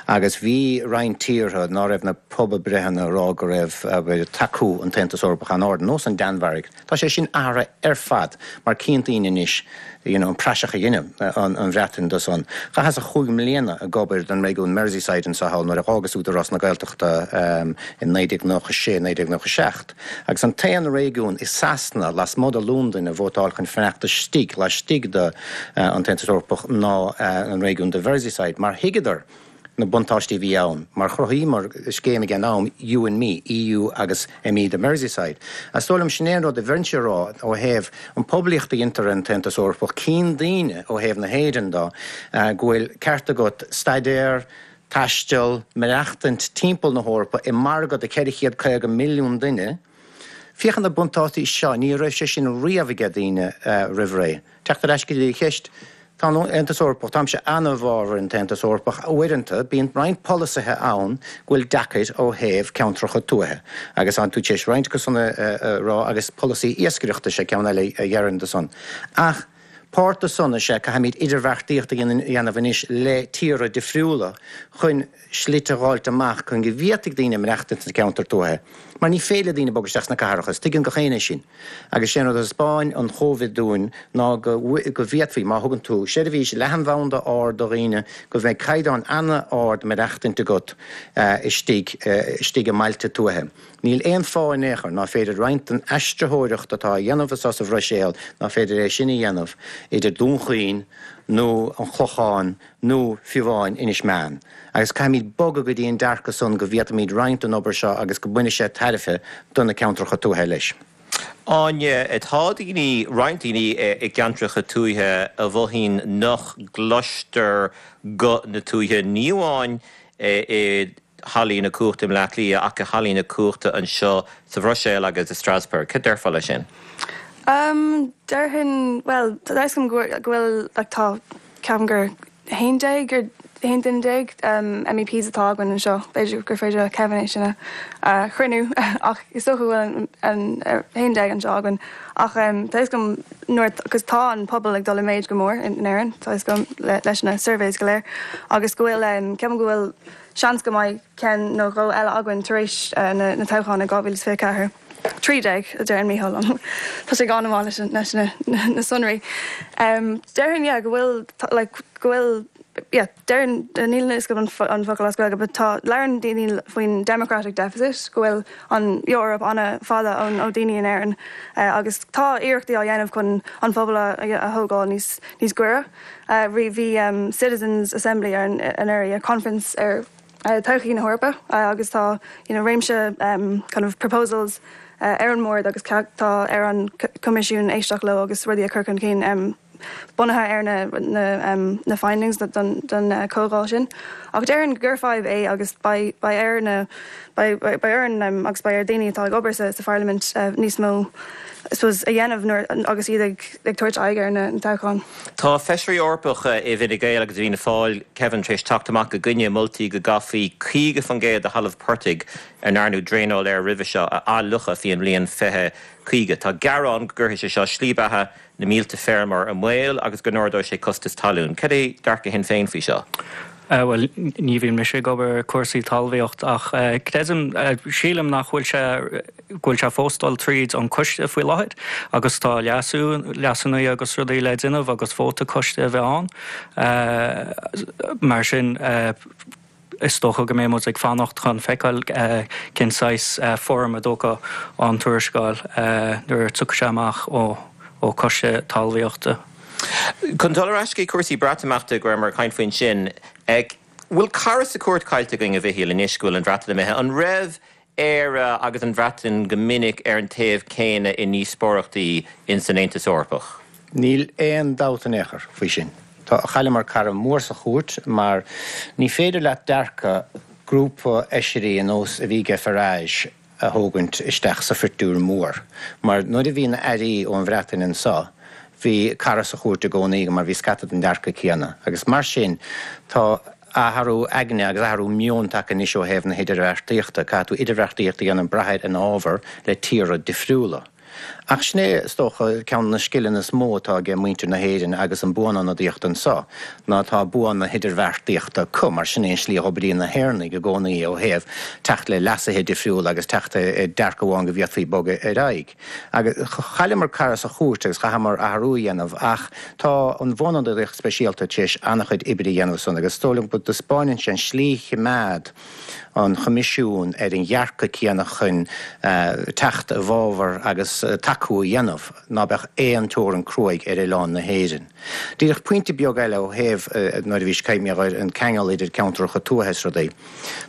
Agus bhí roinnt tíortha ná raibh na pobalbreitheanna ag rá go raibh, abair, tacú an tAontas Eorpach an-ard, nós an Danmhairg. Tá sé sin athraithe ar fad mar cíonn daoine anois you know an praiseach a dhein an Bhreatain de san. Chaitheas chúig mbliana ag obair don réigiún Merseyside anso thall nuair a dh'fhágas Údarás na Gaeltachta i 1996, 1997. Agus an t-aon réigiún i Sasana lasmuigh de Londain a vótáil chun fanacht istigh laistigh de an tAontas Eorpach ná an réigiún de Mherseyside mar thuigeadar na buntáistí a bhí ann mar chruthaíomar scéim ag an am You and Me, EU agus ME de Merseyside. Is dóigh liom sin é an rud a bheinnse a rá ó thaobh an poiblíocht a dhéantar ar an tAontas Eorpach, cíonn daoine ó thaobh na hÉireann de go bhfuil ceart agat staidéar, taisteal, maireachtaint timpeall na hEorpa i margadh de 450 milliún duine. Féach ar na buntáistí seo, ní raibh sé sin riamh aige daoine roimh ré. Teacht ar ais go dtí an cheist. Tá an Aontas Eorpach, táimse an-i bhfabhar an tAontas Eorpach, uaireanta bíonn roinnt polasaithe ann go bhfuil deacair ó thaobh ceantracha tuaithe agus tá tú tar éis roinnt acu san a rá agus polasaí iascaireachta is ea ceann eile a dhéarfainn de san. Ach páirt de san is ea caithfimid idirbheartaíocht a dhéanamh anois le tíortha difriúla chun slite a dh'fháilt amach chun go bhféadfaidh daoine maireachtaint sna ceantair tuaithe, mar ní féidir le daoine bogadh isteach sna cathracha, is tuigeann gach éinne é sin. Agus sé an rud a thaispeáin an Chóivid dúinn ná go go bhféadfaí, má thugann tú seirbhís leathanbhanda ard do dhaoine, go mbeidh caighdeán an-ard maireachtaint agat istigh istigh i mbailte tuaithe. Níl aon fáth in aon chor ná féidir roinnt den aistritheoireacht atá á dhéanamh anso sa Bhruiséil ná féidir é sin a dhéanamh idir Dún Chaoin nó an Clochán nó fiú amháin Inis Meáin, agus caithfimid bogadh go dtí an dearcadh san go bhféadfaimid roinnt den obair seo agus go mbainfidh sé tairbhe do na ceantracha tuaithe leis. Áine, Tá daoine, roinnt daoine i gceantracha tuaithe a mhothaíonn nach gcloistear guth na tuaithe, ní amháin i hallaí na cumhachta i mBleá Cliath ach i hallaí na cumhachta anseo sa Bhruiséil agus i Strasbourg. Cad déarfá leis sin? Déarfainn, bhuel, tá a fhios agam go bhfuil, like, tá, Ceapaim gur 11 ar 11 duine MEPs atá againn anseo. B'fhéidir gur féidir le Kevin é sin a chruinniú ach is dócha go bhfuil an 11 anseo againn. Ach tá a fhios agam nuair agus tá an pobal ag dul i méid go mór in Éirinn, tá a fhios agam leis na surveys go léir agus go bhfuil, ceapaim go bhfuil seans go mbeidh ceann nó dhó eile againn tar éis na toghcháin i 2024. 13, a deireann Mícheál liom. Tá sé an-mhaith leis na sonraí. Déarfainn, yeah, go bhfuil, like, go bhfuil, yeah, déarfainn, níl a fhios agam an focal as Gaeilge, but tá, labhrann daoine faoin democratic deficit, go bhfuil an Eoraip an-fhada ón, ó daoine in Éirinn agus tá iarrachtaí á dhéanamh chun an phobal a thógáil níos, níos gaire. Bhí Citizens Assembly ar anuraidh, conference ar, todhchaí na hEorpa agus tá you know réimse kind of proposals ar an mbord agus tá ar an Coimisiún éisteacht leo agus rudaí a chur chun cinn bunaithe ar na na na findings don don comhdháil sin. Ach déarfainn gur fadhb é agus beidh beidh ar na beidh beidh orainn agus beidh ar daoine atá ag obair sa sa pharlaimint níos mó I suppose a dhéanamh nuair agus iad ag ag tabhairt aghaidh ar na toghcháin. Tá Feisirí Eorpacha i bhFine Gael agus i bhFianna Fáil, Kevin, tar éis teacht amach i gcoinne moltaí go gcaithfí 50% de thalamh portaigh a ndearnadh draenáil air roimhe seo a athfhliuchadh faoin mbliain 2050. Tá gearán go gcuirfidh sé seo slí beatha na mílte feirmeoir i mbaol agus go n-ardóidh sé costas talún. Cad é dearcadh Shinn Féin faoi seo? Bhuel, ní bhíonn mise ag obair ar cúrsaí talmhaíocht ach creidim, sílim nach bhfuil sé, go bhfuil sé fós dul tríd an coiste faoi láthair agus tá leasú, leasanna agus rudaí le déanamh agus vóta coiste a bheith ann. Mar sin, is dócha go mbeidh muid ag fanacht chun feiceáil cén saghas foirm a dtógfaidh an tuarascáil nuair a tiocfaidh sé amach ó choiste talmhaíochta. Chun dul ar ais go cúrsaí Breatimeachta go rabhamar ag caint faoi ansin, bhfuil cara sa chúirt caillte againn, a Mhichíl, anois go bhfuil an Bhreatain imithe? An raibh Éire agus an Bhreatain go minic ar an taobh céanna i ndíospóireachtaí ins an Aontas Eorpach? Níl aon dabht in aon chor faoi sin. Tá, chailleamar cara mór sa chúirt mar ní féidir leat dearcadh grúpa fheisirí ar nós a bhí aige Farage a thógaint isteach sa phictiúr mór mar nuair a bhí na airí ón Bhreatain anseo bhí cara sa chúirt i gcónaí mar bhí scata den dearcadh céanna agus mar sin tá athrú aigne agus athrú meoin tagtha anois ó thaobh na hidirbheartaíochta. Caithfidh tú idirbheartaíocht a dhéanamh brath ar an ábhar le tíortha difriúla. Ach sin é, is dócha, ceann de na scileanna is mó atá aige muintir na hÉireann agus an buanionadaíocht anseo, ná tá bua na hidirbheartaíochta acu, mar sin é an slí a dh'oibríonn na hÉireannaigh i gcónaí ó thaobh teacht le leasuithe difriúla agus teacht ar dearcadh amháin go bhféadfaí bogadh ar aghaidh. Agus chailleamar cara sa chúirt agus chaitheamar athrú a dhéanamh ach tá an Bhuanionadaíocht Speisialta tar éis an-chuid oibre a dhéanamh ansan agus is dóigh liom go dtaispeáineann sé an slí choimeád an Choimisiún ar an dhearcadh céanna chun teacht i bhfabhar agus tacú a dhéanamh ná beadh aon teorainn cruaidh ar oileán na hÉireann. Díreach pointe beag eile ó thaobh nuair a bhís ag caint ar an ceangal idir ceantracha tuaithe is rudaí.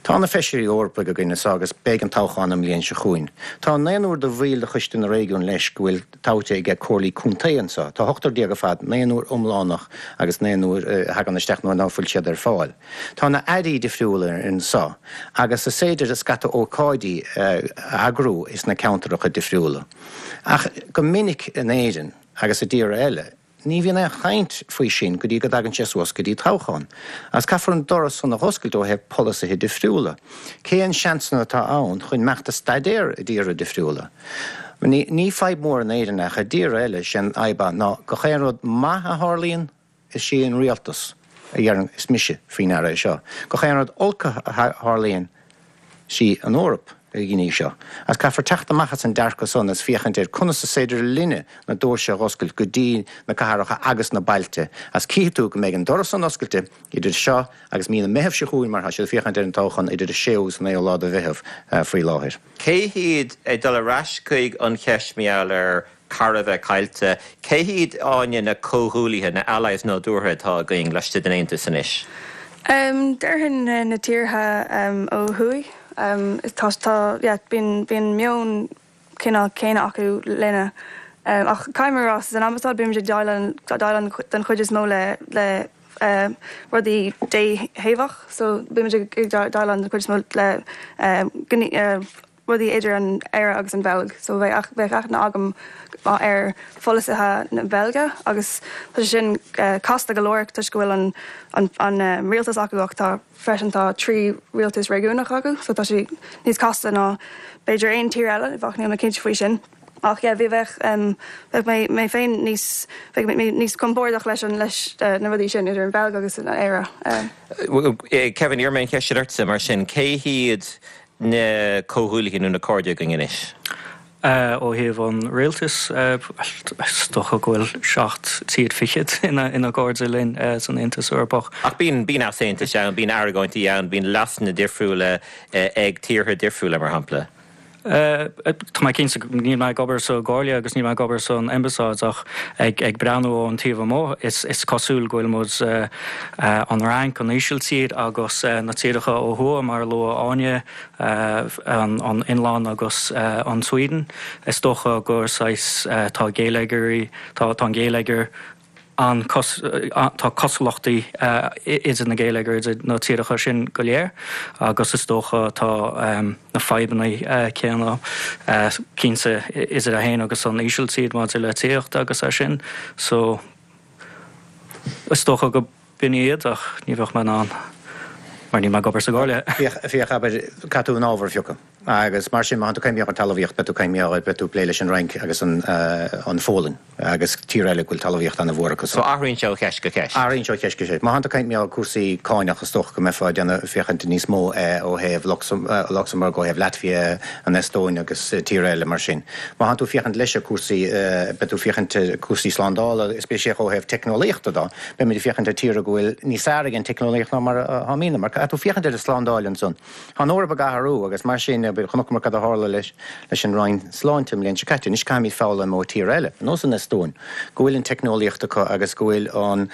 Tá na Feisirí Eorpaigh againn anso agus beidh an toghchán an mbliain seo chugainn. Tá naonúr de bhaill de Choiste na Réigiún leis go bhfuil toghte aige comhairlí contae anso. Tá ochtar déag ar fad, naonúr iomlánach agus naonúr a thagann isteach nuair ná fuil siad ar fáil. Tá na airí difriúla anso agus is féidir scata ócáidí a eagrú is na ceantaracha difriúla. Ach go minic in Éirinn agus i dtíortha eile. Ní bhíonn aon chaint faoi sin go dtí go dtagann sé suas go dtí toghchán. Agus caithfear an doras san a dh'oscailt ó thaobh polasaithe difriúla. Cén seansanna atá ann chun imeacht a staidéar i dtíortha difriúla? Ní, ní fadhb mór in Éirinn ach i dtíortha eile, sé an fhadhb ná gach aon rud maith a tharlaíonn, Is sí an rialtas a dheireann is mise faoi ndeara é seo. Gach aon rud olc a tharlaíonn, sí an Eoraip a dhein í seo. Agus caithfear teacht amach as an dearcadh san agus féachaint ar conas is féidir linne na doirse a dh'oscailt go dtí na cathracha agus na bailte. Agus cífidh tú go mbeidh an doras san oscailte idir seo agus mí na Meitheamh seo chugainn mar tá siad ag féachaint ar an toghchán idir an séú agus an naoú lá de Mheitheamh faoi láthair. Cé hiad, ag dul ar ais chuig an cheist mar gheall ar cara a bheith caillte. Cé hiad, Áine, na comhghuaillithe, na allies nádúrtha atá againn laistigh den Aontas anois? Déarfainn na tíortha ó thuaidh. Tá, tá, yeah, bíonn, bíonn meon cineál céanna acu linne. Ach caithfidh mé a rá, san ambasáid bímid ag déileáil, déileáil den chuid is mó le, le rudaí déthaobhach. So bímid ag déileáil den chuid is mó le rudaí idir an Éire agus an Bheilg so bheadh bheadh aithne agam ar pholasaithe na Beilge agus tá sé sin casta go leor toisc go bhfuil an an an rialtas acu ach tá freisin tá 3 rialtas réigiúnach acu so tá sé níos casta ná b'fhéidir aon tír eile ach níl mé cinnte faoi sin. Ach yeah bhí bheadh bheadh mé mé féin níos bheadh mé níos compordach leis an leis na rudaí sin idir an Bheilg agus an Éire. Kevin, iarrfaidh mé an cheist sin ortsa mar sin, cé hiad na comhghuaillithe nó na cairde againn anois? Ó thaobh an rialtais, is dócha go bhfuil 7 tír fichead ina gcairde linn san Aontas Eorpach. Ach bíonn, bíonn easaontais ann, bíonn argóintí ann, bíonn leasanna difriúla ag tíortha difriúla, mar shampla. Tá mé cinnte, níl mé ag obair sa gComhairle agus níl mé ag obair san Ambasáid ach ag breathnú ón taobh amuigh is cosúil go bhfuil muid, an Fhrainc, an Ísiltír agus na tíortha ó thuaidh mar a luaigh Áine, an Fhionlainn agus an Sweden, is dócha gur saghas, tá géilleagairí, tá an géilleagar, an tá cosúlachtaí idir na géilleagair idir na tíortha sin go léir agus is dócha tá na fadhbanna céanna cinnte idir é féin agus an Ísiltír maidir le tithíocht agus é sin so is dócha go b'in iad ach ní bheadh mé in ann mar níl mé ag obair sa gComhairle. Féach, féach, abair, caithfidh tú an ábhar a phiocadh. Agus mar sin, má thánn tú ag caint ar talmhaíocht, beidh tú ag caint ar, beidh tú ag plé leis an Fhrainc agus an, an Pholainn agus tír eile go bhfuil talmhaíocht an-mhór acu. So athraíonn sé ó cheist go ceist. Athraíonn sé ó cheist go ceist. Má thánn tú ag caint ar cúrsaí cáinach, is dócha go mbeifeá ag déanamh, féachaint níos mó ó thaobh Lucsamburg, ó thaobh Latvia, an Eastóin agus tíortha eile mar sin. Má thánn tú ag féachaint leis ar cúrsaí, beidh tú ag féachaint ar cúrsaí slándála, is spéisialta ó thaobh teicneolaíochta de. Beimid ag féachaint ar tíortha go bhfuil níos fearr ag an teicneolaíocht ná mar a tháimidne, mar caithfidh tú féachaint ar an slándáil ansan. Tá an Eoraip ag athrú agus mar sin, chonaiceamar cad a tharla leis an Roinn Sláinte an bhliain seo caite. Anois caithfimid foghlaim ó tíortha eile, ar nós an Eastóin, go bhfuil an teicneolaíocht acu agus go bhfuil an,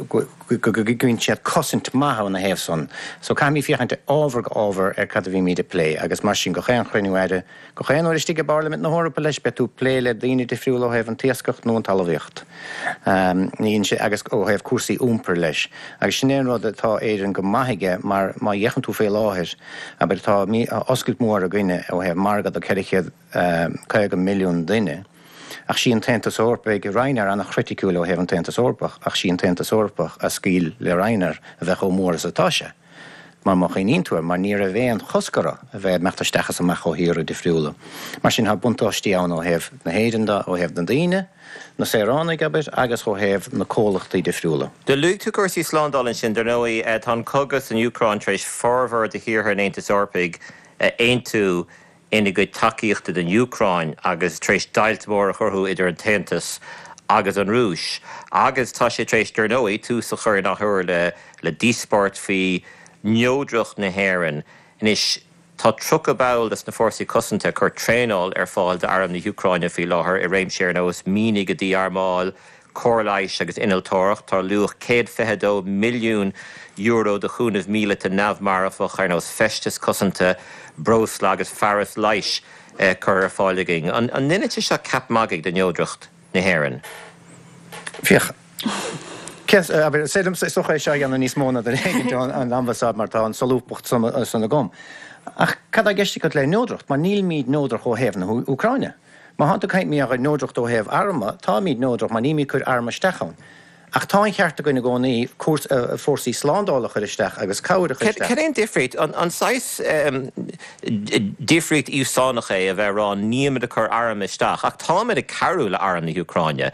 go gcuireann siad cosaint maith ina thaobh san. So caithfimid féachaint ábhar go ábhar ar cad a bhímid ag plé agus mar sin gach aon chruinniú aire, Gach aon uair istigh i bParlaimint na hEorpa leis, beidh tú ag plé le daoine difriúla ó thaobh an t-iascach nó an talmhaíocht. Ní sé, agus ó thaobh cúrsaí iompair leis. Agus sin é an rud atá Éirinn go maith aige mar má fhéachann tú faoi láthair, abair, tá oscailt mhór againne ó thaobh margadh do 450 milliún duine. Ach sí an tAontas Eorpach, Ryanair an-chriticiúil ó thaobh an tAontas Eorpach, ach sí an tAontas Eorpach a scaoil le Ryanair a bheith chomh mór is atá sé. Mar má chuimhníonn tú air, mar ní raibh aon chosc orthu a bheith ag imeacht isteach is amach ó thíortha difriúla. Mar sin, tá buntáistí ann ó thaobh na hÉireann de, ó thaobh na daoine, na saoránaigh, abair, agus ó thaobh na comhlachtaí difriúla. Do luaigh tú cúrsaí slándála ansin. Dar ndóigh, tá an cogadh san Úcráin tar éis formhór de thíortha an Aontais Eorpaigh a aontú ina gcuid tacaíochta don Úcráin agus tar éis deighilt mhór a chruthú idir an tAontas agus an Rúis. Agus tá sé tar éis, dar ndóigh, tús a chur in athuair le le díospóireacht faoi neodracht na hÉireann. Anois, tá 30 ball des na Fórsaí Cosanta ag cur traenáil ar fáil d'Arm na hÚcráine faoi láthair i réimsí ar nós mianaigh a dí-armáil, cóir leighis agus innealtóireacht. Tá luach €122 milliún de chúnamh míleata neamh-mharfach ar nós feisteas cosanta, breosla agus fearas leighis curtha ar fáil againn. An ndéanann sé seo ceap magaidh de neodracht na hÉireann? Féach, abair, is féidir liomsa is dócha é seo a dhéanamh níos mó ná duine éigin ón ambasáid mar tá an solúbthacht san agam. Ach cad tá i gceist agat le neodracht? Mar nílimid neodrach ó thaobh na hÚcráine. Má thánn tú ag caint mar gheall ar neodracht ó thaobh arma, táimid neodrach mar nílimid ag cur arm isteach ann. Ach tá an cheart againn i gcónaí fórsaí slándála a chur isteach agus cabhair a chur isteach. Cad é an difríocht? An saghas difríocht íosánach é a bheith ag rá nílimid ag cur arm isteach ach táimid ag cabhrú le arm na hÚcráine.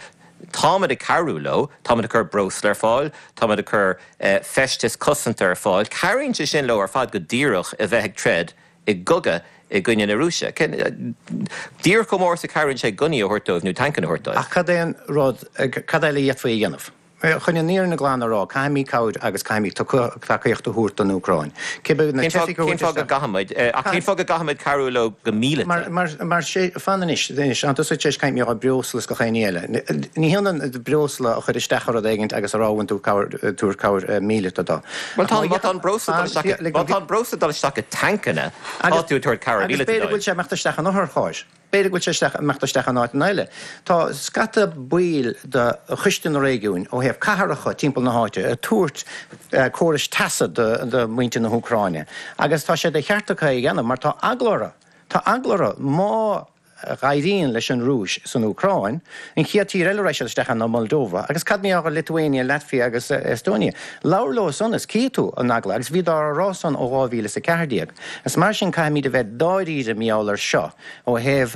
Táimid ag cabhrú leo, táimid ag cur breosla ar fáil, táimid ag cur feisteas cosanta ar fáil. Cabhraíonn sé sin leo ar fad go díreach a bheith ag troid i gcogadh i gcoinne na Rúise. Díreach chomh mór is a chabhraíonn sé gunnaí a thabhairt dóibh nó tancanna a thabhairt dóibh. Ach cad é an rud, cad eile a d'fhéadfaí a dhéanamh? Chun an fhírinne glan a rá, caithfimid cabhair agus caithfimid tacaíocht a thabhairt don Úcráin. Cibé na teifigh a thabhairt isteach. Cén fáth go gcaithfimid, ach cén fáth go gcaithfimid cabhrú leo go míleata? Mar, mar, fan anois, anois, tá tusa tar éis caint mar gheall ar breosla is gach aon ní eile. Ní hionann breosla a chur isteach i rud éigint agus a rá bhfuil tú ag tabhairt cabhair míleata dó. Bhuel tá, má tá an breosla ag dul isteach, má tá an breosla ag dul isteach i dtancanna, tá tú ag tabhairt cabhair míleata dóibh. Agus b'fhéidir go bhfuil sé ag imeacht isteach in otharchairr. B'fhéidir go bhfuil sé isteach, imeacht isteach in áiteanna eile. Tá scata baill de Choiste na Réigiúin ó thaobh cathracha timpeall na háite ag tabhairt córais teasa do mhuintir na hÚcráine agus tá sé de cheart acu é a dhéanamh mar tá eagla orthu, tá eagla orthu má éiríonn leis an Rúis san Úcráin, an chéad tír eile a raghaidh siad isteach ann ná Moldova. Agus cad mar gheall ar Lithuania, Latvia agus Estonia? Labhair leo san is cífidh tú an eagla. Agus bhíodar á rá san ó 2014. Is mar sin caithfimid a bheith dáiríre mar gheall ar seo ó thaobh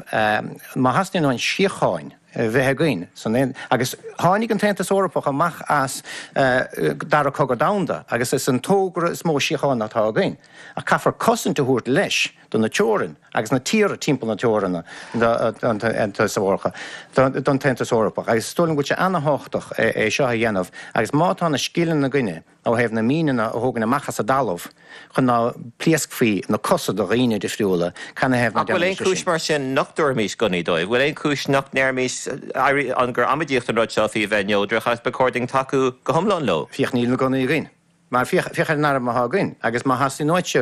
má theastaíonn uainn síocháin a bheith againn san agus tháinig an tAontas Eorpach amach as Dara Cogadh Domhanda agus is an togra is mó síochána atá againn. Ach caithfear cosaint a thabhairt leis. do na teorainn agus na tíortha timpeall na teoranna don Aontas Eorpach agus is dóigh liom go bhfuil sé ana-thábhachtach é seo a dhéanamh agus má tá na scileanna againne ó thaobh na míneanna a thógaint amach as an dtalamh chun ná pléascfaí na cosa do dhaoine difriúla, canathaobh ná Ach bhfuil aon déanfaimis é chúis sin? mar sin nach dtabharfaimis gunnaí dóibh? Bhfuil aon chúis nach ndéarfaimis an gur amaidíocht an rud seo faoi bheith neodrach agus ba chóir dúinn tacú go hiomlán leo? Féach, níl na gunnaí againn. Mar féach, féach ar an arm atá againn, agus má theastaíonn uaitse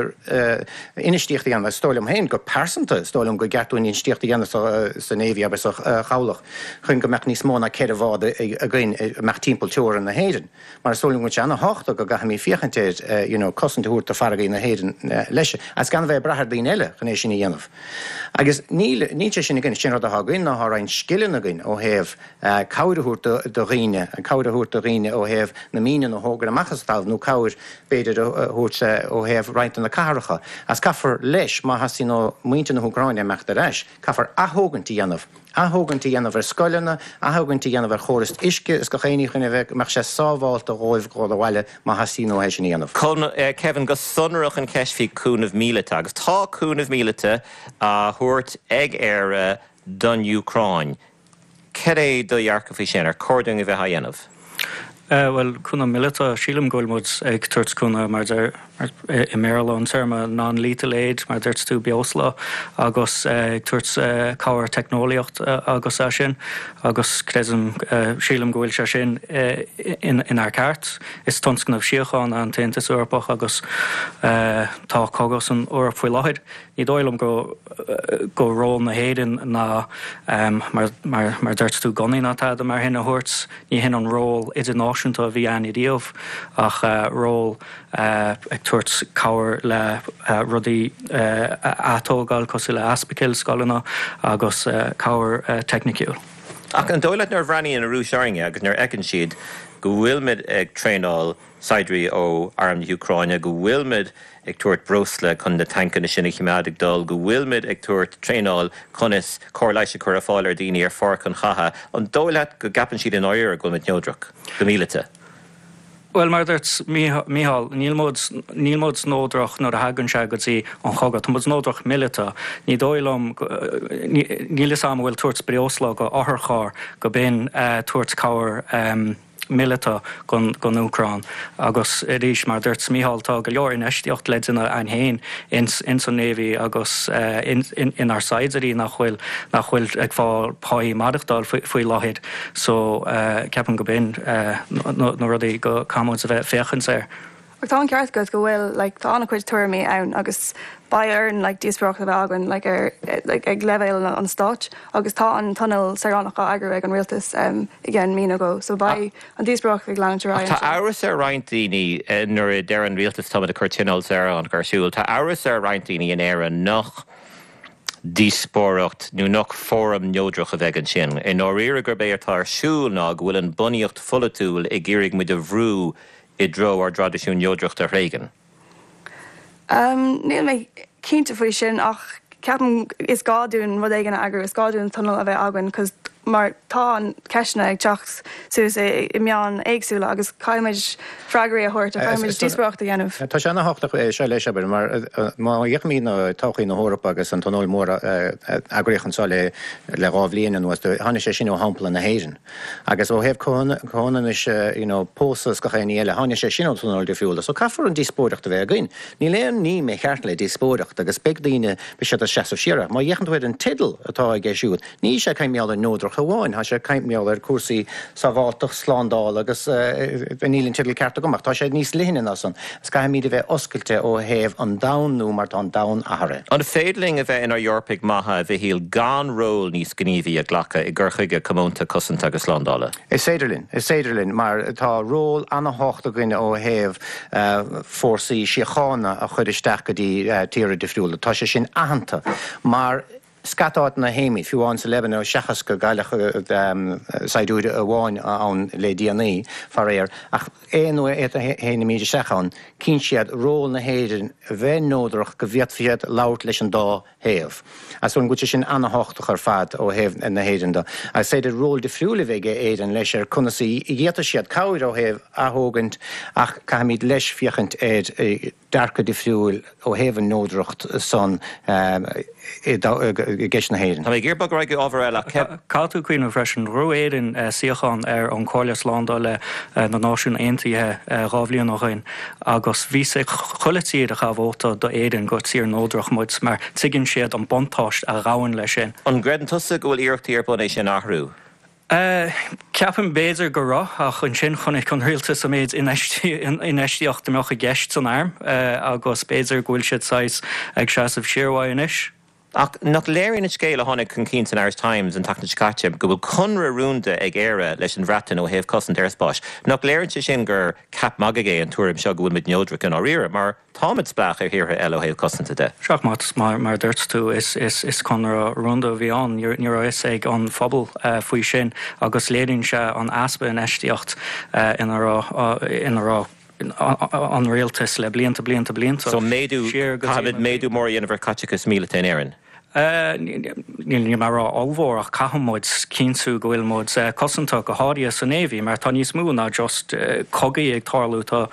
infheistíocht a dhéanamh, is dóigh liom féin, go pearsanta, is dóigh liom gur ceart dúinn infheistíocht a dhéanamh sa Navy agus sa Chabhlach chun go mbeadh níos mó ná 4 bhád againn a mbeadh timpeall teorainn na hÉireann. Mar is dóigh liom go bhfuil sé ana-thábhachtach go gcaithfimid féachaint ar, you know, cosaint a thabhairt do farraigí na hÉireann leis, agus gan a bheith ag brath ar daoine eile chun é sin a dhéanamh. Agus níl, níl sé sin againn. Is é an rud atá againn ná tá roinnt scileanna againn ó thaobh, cabhair a thabhairt do dhaoine, cabhair a thabhairt do dhaoine ó thaobh na míneanna a thógaint amach as an talamh nó cabhair, b'fhéidir, a thabhairt ó thaobh roinnt de na cathracha. Agus caithfear leis, má theastaíonn ó mhuintir na hÚcráine imeacht ar ais, caithfear athógaint a dhéanamh, athógaint a dhéanamh ar scoileanna, athógaint a dhéanamh ar chóras uisce is gach aon ní chun a bheith, go mbeadh sé sábhálta dhóibh dhul abhaile má theastaíonn uathu é sin a dhéanamh. Kevin, go sonrach an cheist faoi chúnamh míleata, agus tá cúnamh míleata á thabhairt ag Éire don Úcráin. Cad é do dhearcadh faoi sin? Ar chóir dúinn a bheith á dhéanamh? Bhuel, cúnamh míleata, sílim go bhfuil muid ag tabhairt cúnamh mar deir, i mBéarla an téarma non-lethal aid, mar dúirt tú, breosla agus ag tabhairt cabhair teicneolaíocht agus é sin agus creidim, sílim go bhfuil sé sin inár gceart. Is tionscnamh síochána an tAontas Eorpach agus tá cogadh san Eoraip faoi láthair. Ní dóigh liom go go ról na hÉireann ná mar mar dúirt tú gunnaí ná tada mar shin a thabhairt. Ní hin an ról idirnáisiúnta a bhí ann riamh ach ról ag tabhairt cabhair le rudaí a atógáil cosúil le ospidéil, scoileanna agus cabhair teicniciúil. Ach an dóigh leat nuair a bhreathnaíonn an Rúis orainne agus nuair a fheiceann siad go bhfuilimid ag traenáil saighdiúirí ó Arm na hÚcráine, go bhfuilimid ag tabhairt breosla chun na tancanna sin a choimeád ag dul, go bhfuilimid ag tabhairt traenáil conas cóir leighis a chur ar fáil ar dhaoine ar pháirc an chatha. An dóigh leat go gceapann siad i ndáiríre go bhfuilimid neodrach go míleata? Bhuel, mar a dúirt Mícheál, níl muid, níl muid neodrach nuair a thagann sé go dtí an chogadh. Tá muid neodrach míleata. Ní dóigh liom, níl fhios a'm an bhfuil tabhairt breosla go otharcharr go b'in tabhairt cabhair míleata don Úcráin. Agus arís, mar a dúirt Mícheál, tá go leor infheistíocht le déanamh againn féin ins an Navy agus inár saighdiúirí nach bhfuil, nach bhfuil ag fáil páí maireachtáil faoi láthair. So, ceapaim go b'in na rudaí go caithfidh muid a bheith féachaint air. Ach tá an ceart agat go bhfuil like tá an-chuid tuairimí ann agus beidh orainn like díospóireacht a bheith againn like ar like ag leibhéal an stáit agus tá an tionól saoránach á eagrú ag an rialtas um i gceann mí nó dhó so beidh an díospóireacht ag leanúint ar aghaidh Ach tá ansin. amhras ar roinnt daoine nuair a deir an rialtas táimid ag cur tionól saoránach ar siúl, tá amhras ar roinnt daoine in Éirinn nach. díospóireacht nó nach fóram neodrach a bheidh ansin. I ndáiríre gurb é atá ar siúl ná go bhfuil an bunaíocht pholaitiúil ag iarraidh muid a bhrú i dtreo ár dtraidisiún neodrachta a thréigean. Níl mé cinnte faoi sin ach ceapaim is gá dúinn rud éigin a eagrú, is gá dúinn tionól a bheith againn cos mar tá an ceisteanna ag teacht suas i meáin éagsúla agus caithfimid freagraí a thabhairt, caithfimid díospóireacht a dhéanamh. Tá sé ana-thábhachtach é seo leis, abair, mar má fhéachaimid ar todhchaí na hEorpa agus an tionól mór a eagraíodh anseo le 2 bhliain anuas, tháinig sé sin ó shampla na hÉireann. Agus ó thaobh comhionannais you know pósadh is gach aon ní eile, tháinig sé sin ó tionóil difriúla. So caithfear an díospóireacht a bheith againn. Níl aon ní mícheart le díospóireacht agus beidh daoine, beidh siad ag seasamh siar. Ach má fhéachann tú ar an teideal atá aige siúd, níl sé ag caint mar gheall ar neodracht amháin, tá sé ag caint mar gheall ar cúrsaí sábháilteacht, slándála agus níl an teideal ceart agam ach tá sé níos leithne ná san. Agus caithfimid a bheith oscailte ó thaobh an domhan nua mar tá an domhan athraithe. An féidir linn a bheith inár Eorpaigh maithe, a Mhichíl, gan ról níos gníomhaí a ghlacadh i gcur chuige comónta cosanta agus slándála? Is féidir linn. Is féidir linn mar tá ról ana-thábhachtach againn ó thaobh fórsaí síochána a chur isteach go dtí tíortha difriúla. Tá sé sin aitheanta mar. Scata áiteanna a théimid, fiú amháin sa Liobáin, seachas go gcailleadh saighdiúir amháin ann le déanaí, faraor, ach aon uair a théimid isteach ann, tchíonn siad ról na hÉireann a bheith neodrach go bhféadfaidh siad labhairt leis an dá thaobh. Agus go bhfuil sé sin ana-thábhachtach ar fad ó thaobh na hÉireann de. Agus is féidir ról difriúil a bheith ag Éirinn leis ar conas a d'fhéadfadh siad cabhair ó thaobh athógaint ach caithfimid leis féachaint ar dearcadh difriúil ó thaobh an neodracht san i gceist na hÉireann. Tá mé ag iarraidh bogadh ar aghaidh go ábhar eile ach cé. Caithfidh tú cuimhneamh freisin, ghnóthaigh Éirinn suíochán ar an Comhairle Slándála na Náisiún Aontaithe 2 bhliain ó shoin agus bhí a fhios ag chuile tír a chaith vóta do Éirinn gur tír neodrach muid mar tuigeann siad an buntáiste a ghabhann leis sin. An gcreideann tusa go bhfuil iarrachtaí ar bun é sin a athrú? Ceapaim b'fhéidir go raibh, ach ansin chonaic an rialtas an méid infheistíocht a mbeadh i gceist san arm agus b'fhéidir go bhfuil siad saghas ag seasamh siar uaidh anois. Ach nach léiríonn an scéal a tháinig chun cinn san Irish Times an tseachtain seo caite go bhfuil conradh rúnda ag Éire leis an Bhreatain ó thaobh cosaint aerspáis, nach léiríonn sé sin gur ceap magaidh é an tuairim seo go bhfuil muid neodrach i ndáiríre, mar Táimid spleách ar thíortha eile ó thaobh cosanta de. Sea, mar a dúirt tú, is conradh rúnda a bhí ann. Ní raibh a fhios ag an phobal faoi sin agus léiríonn sé an easpa infheistíocht ina raibh an rialtas le blianta, blianta, blianta. So méadú, caithfimid méadú mór a dhéanamh ar chaiteachas míleata in Éirinn? Níl mé ag rá ollmhór ach caithfidh muid cinntiú go bhfuil muid cosanta, go háirithe sa Navy, mar tá níos mó ná just cogaí ag tarlú, tá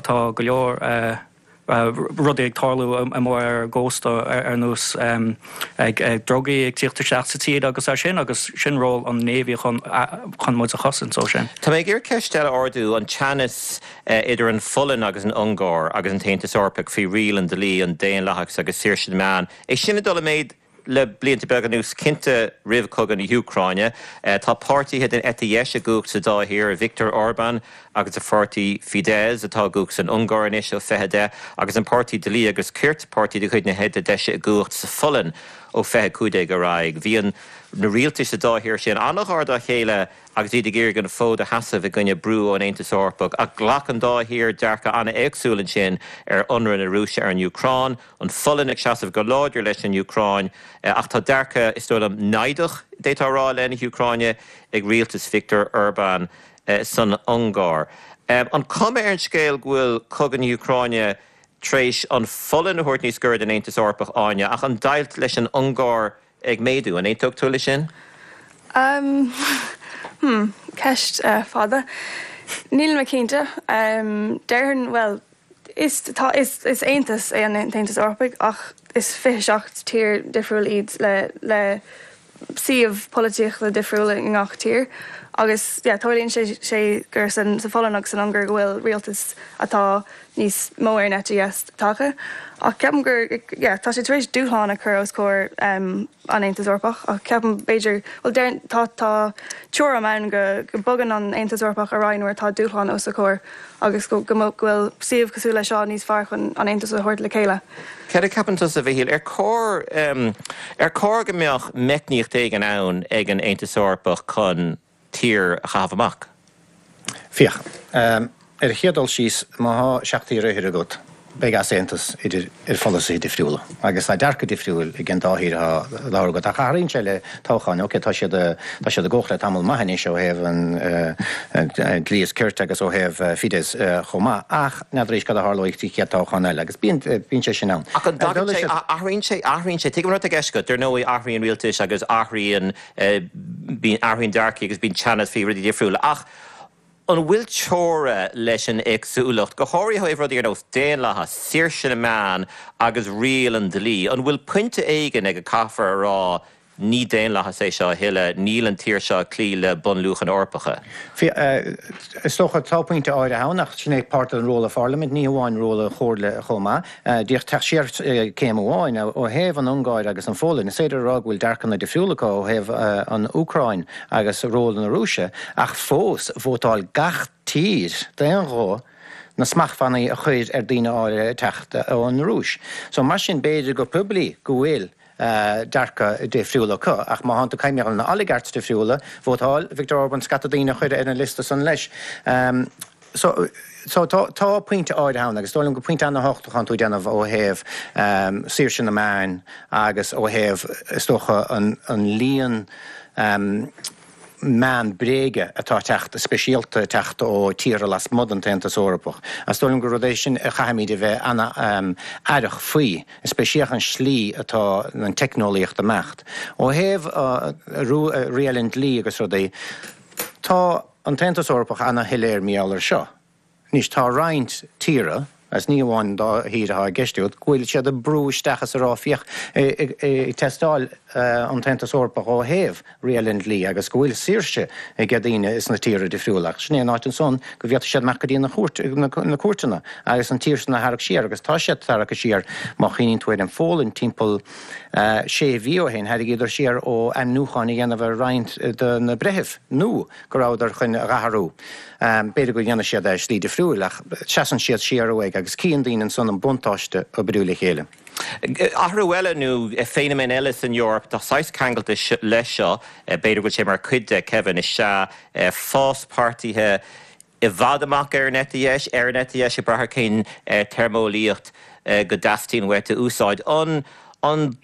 tá go leor rudaí ag tarlú amuigh ar an gcósta ar nós ag drugaí ag tíocht isteach sa tír agus é sin agus sin ról an Navy chun chun muid a chosaint ó sin. Tá mé ag iarraidh ceist eile a ardú, an teannas idir an Pholainn agus an Ungáir agus an tAontas Eorpach faoi riail an dlí, an daonlathas agus saoirse na meán, é sin ag dul i méid le blianta beaga anuas, cinnte roimh chogadh na hÚcráine. Tá páirtithe den eite dheis i gcumhacht sa dá thír, Viktor Orbán agus a pháirtí Fidesz atá i gcumhacht san Ungáir anois ó 2010, agus an páirtí Dlí agus Cirt, páirtí de chuid na heite deise i gcumhacht sa Pholainn ó 2015 ar aghaidh. Bhí an na rialtais sa dá thír sin an-ghar dá chéile agus iad ag iarraidh an fód a sheasamh i gcoinne brú ón Aontas Eorpach, ach ghlac an dá thír dearcadh an-éagsúil ansin ar ionradh na Rúise ar an Úcráin, an Pholainn ag seasamh go láidir leis an Úcráin, ach tá dearcadh, is dóigh liom, naimhdeach, d'fhéadfá a rá, i leith na hÚcráine ag rialtas Viktor Orbán san Ungáir. An cuma ar an scéal go bhfuil cogadh na hÚcráine tar éis an Pholainn a thabhairt níos gaire don Aontas Eorpach, Áine, ach an deighilt leis an Ungáir ag méadú. An aontódh tú leis sin? Um, hmm, ceist fada. Níl mé cinnte. Um, déarfainn, bhuel, is, tá, is, is aontas é an tAontas Eorpaigh ach is 27 tír difriúil iad le, le suíomh polaitíochta difriúil i ngach tír agus, yeah, tarlaíonn sé, sé gur san, sa Pholainn agus san Ungáir go bhfuil rialtas atá níos mó ar an eite dheis tagtha. Ach ceapaim gur, yeah, tá sé tar éis dúshlán a chur os comhair an Aontas Eorpach ach ceapaim b'fhéidir, bhuel deireann, tá, tá teoirim ann go, go bogann an Aontas Eorpach ar aghaidh nuair atá dúshlán os a chomhair agus go, go, go bhfuil suíomh cosúil leis seo níos fearr chun an Aontas a thabhairt le chéile. Céard a cheapann tusa, a Mhichíl, ar chóir, ar chóir go mbeadh meicníocht éigin ann ag an Aontas Eorpach chun tír a chaitheamh amach? Féach, ar an chéad dul síos, má thá seacht tír oighir agat. Beidh easaontas idir ar pholasaithe difriúla agus tá dearcadh difriúil ag an dá thír atá á labhairt agat. Ach athraíonn sé le toghcháin. Ok, tá siad tá siad i gcomhlacht le tamall maith anois ó thaobh an dlí is cirt agus ó thaobh Fidesz chomh maith ach n'fheadar arís cad a tharlóidh sa chéad toghchán eile agus bíonn bíonn sé sin ann. Ach an dtagann sé, athraíonn sé, athraíonn sé, tuigim an rud atá i gceist agat, dar ndóigh athraíonn rialtais agus athraíonn, bíonn, athraíonn dearcaí agus bíonn teannas faoi rudaí difriúla ach, An bhfuil teora leis an éagsúlacht, go háirithe ó thaobh rudaí ar nós daonlathas, saoirse na meán agus riail an dlí? An bhfuil pointe éigin ag a caithfear a rá ní daonlathas é seo a thuilleadh, níl an tír seo ag cloí le bunluachanna Eorpacha? Is dócha, tá pointe áirithe ann ach sin é páirt den ról an Pharlaimint, ní hamháin ról an Chomhairle chomh maith. Díreach teacht siar céim amháin, ó thaobh an Ungáir agus an Pholainn, is féidir a rá go bhfuil dearcanna difriúla acu ó thaobh an Úcráin agus ról na Rúise, ach fós, vótáil gach tír d'aon ghuth na smachtbhannaí a chur ar daoine áirithe teacht ón Rúis. So mar sin, b'fhéidir go poiblí go bhfuil dearcadh difriúil acu, ach má thánn tú ag caint mar gheall ar na oligarchs difriúla, vótáil Viktor Orban scata daoine a chur ar an liosta san leis. So, so tá, tá pointe áirithe ann agus is dóigh liom gur pointe ana-thábhachtach atánn tú ag déanamh ó thaobh saoirse na meáin agus ó thaobh, is dócha, an, an líon meán bréige atá ag teacht, speisialta ag teacht ó tíortha lasmuigh den tAontas Eorpach. Is dóigh liom gur rud é sin a chaithfimid a bheith ana-aireach faoi, speisialta an slí atá an teicneolaíocht ag imeacht. Ó thaobh riail an dlí agus rudaí, tá. an tAontas Eorpach ana-shoiléir mar gheall air seo. Anois, tá roinnt tíortha, agus ní hamháin an dá thír atá i gceist agat, go bhfuil siad ag brú isteach is ag rá féach, ag tástáil an tAontas Eorpach ó thaobh riail an dlí agus go bhfuil saoirse ag daoine sna tíortha difriúla. Ach sin é an áit ansan go bhféadfaidh siad imeacht go dtí na cúirteanna agus an tír san a tharrac siar agus tá siad tarractha siar má chuimhníonn tú ar an Pholainn timpeall sé mhí ó shin, tharraingíodar siar ó ainmniúcháin a dhéanamh ar roinnt de na breithimh nua go rabhadar chun a dh'athrú. B'fhéidir go ndéanfaidh siad é i slí difriúil ach seasann siad siar uaidh agus cíonn daoine ansan an buntáiste oibriú le chéile. Athrú eile nó feiniméan eile san Eoraip atá saghas ceangailte leis seo, b'fhéidir go bhfuil sé mar chuid de, Kevin, is ea fás páirtithe i bhfad amach ar an eite dheis, ar an eite dheis, ag brath ar cén téarmeolaíocht go dteastaíonn uait a úsáid. An an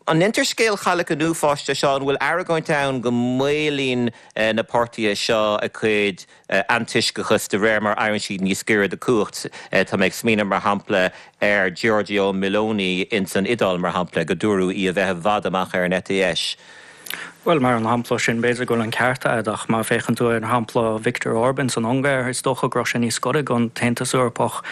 an ndeintear scéal Chailleach an Uafáis de seo? An bhfuil argóint ann go maolaíonn na páirtithe seo a gcuid antoisceachas de réir mar éiríonn siad níos gaire do chumhacht? Tá mé ag smaoineamh mar shampla ar Giorgia Meloni ins an Iodáil mar shampla, go dúradh í a bheith i bhfad amach ar an eite dheis. Bhuel, mar an shampla sin, b'fhéidir go bhfuil an ceart a'd, ach má féachann tú ar shampla Viktor Orban san Ungáir, is dócha go raibh sé níos gaire don tAontas Eorpach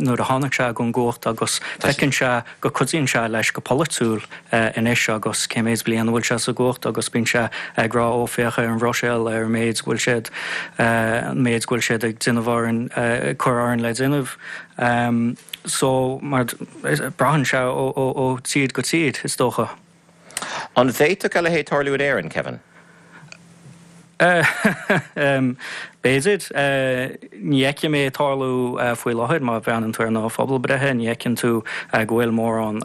nuair a tháinig sé gon gcumhacht agus feiceann sé go cuidíonn sé leis go polaitiúil anois agus cé méid bliain a bhfuil sé sa gcumhacht agus bíonn sé ag rá ó féach ar an Bhruiséil, ar an méid go bhfuil siad, an méid go bhfuil siad ag déanamh orainn, ag cur orainn le déanamh. So, mar, braitheann sé ó tír go tír, is dócha. An bhféadfadh a leithéid tarlú in Éirinn, Kevin? B'fhéidir. Ní fheicim é ag tarlú faoi láthair. Má bhreathnaíonn tú ar na pobalbhreithe, ní fheiceann tú go bhfuil mórán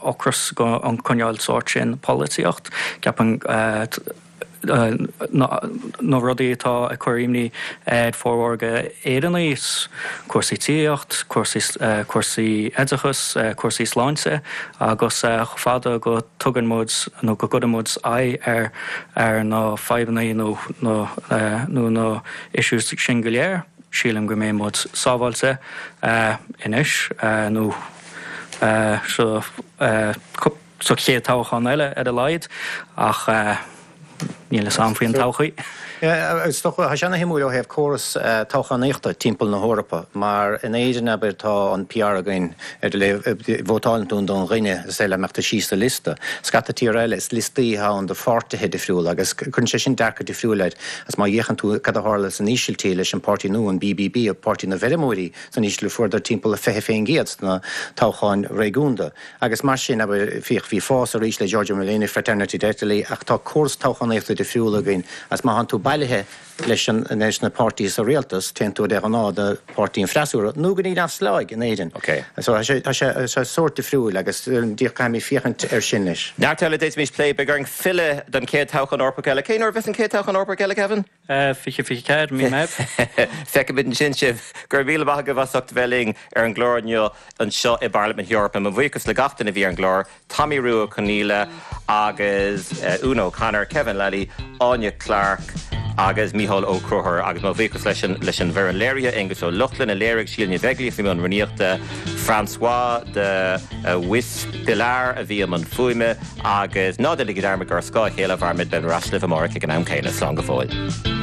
ocras don chineál sórt sin polaitíocht. Ceapaim na rudaí atá ag cur imní ar formhór d'Éireannaigh, cúrsaí tithíocht, cúrsaí oideachas, cúrsaí sláinte agus chomh fada go dtugann muid nó go gcuireann muid aghaidh ar na fadhbanna nó nó na issues sin go léir, sílim go mbeidh muid sábháilte anois nó sa Sa chéad toghchán eile ar a laghad, ach níl fhios a'm faoin todhchaí. Is dócha, tá sé ana-shuimiúil ó thaobh córas toghchánaíochta timpeall na hEorpa, mar in Éirinn, abair, tá an PR againn ar vótálann tú don dhuine is dóigh leat mbeadh tú síos sa liosta. Scata tíortha eile, is liostaí atá ann do pháirtithe difriúla agus cuireann sé sin dearcadh difriúil air. Agus má fhéachann tú cad a tharla san Ísiltír leis an páirtí nua, an BBB, Páirtí na bhFeirmeoirí san Ísiltír, fuaireadar timpeall 20% sna toghcháin réigiúnda. Agus mar sin, abair, féach, bhí fás arís le Giorgia Meloni, Fraternity d'Italy, ach tá córas toghchánaíochta. difriúla againn agus má thánn tú bailithe leis an, leis na páirtithe sa rialtas, téann tú de ghnáth do pháirtí an freasúra nó go dtí neamhspleáigh in Éirinn. Ok. So tá sé, tá sé, tá sé sórt difriúil agus díreach caithfimid féachaint air sin anois. Neart eile a d'fhéadfaimis plé, beidh orainn filleadh don chéad toghchán Eorpach eile. Cén uair a bheas an chéad toghchán Eorpach eile, Kevin? 2024, mí Meitheamh. Feicfimid ansin sibh. Go raibh míle maith agaibh as ucht a bheith linn ar an gclár inniu anseo i bParlaimint na hEorpa. Mo bhuíochas le gach duine a bhí ar an gclár, Tomaí Rua Ó Conghaile agus Úna O'Connor, Kevin Lally, Áine Clarke agus Mícheál Ó Conchúir. Agus mo bhuíochas leis an leis an bhfoireann léirithe, Aengus Ó Lochlainn a léirigh, Síle Ní Bheaglaoich a bhí i mbun rúnaíochta, François de Wispelaere a bhí i mbun fuaime. Agus ná déanaigí dearmad gur ar scáth a chéile a mhairimid, beimid ar ais libh amárach ag an am céanna. Slán go fóill.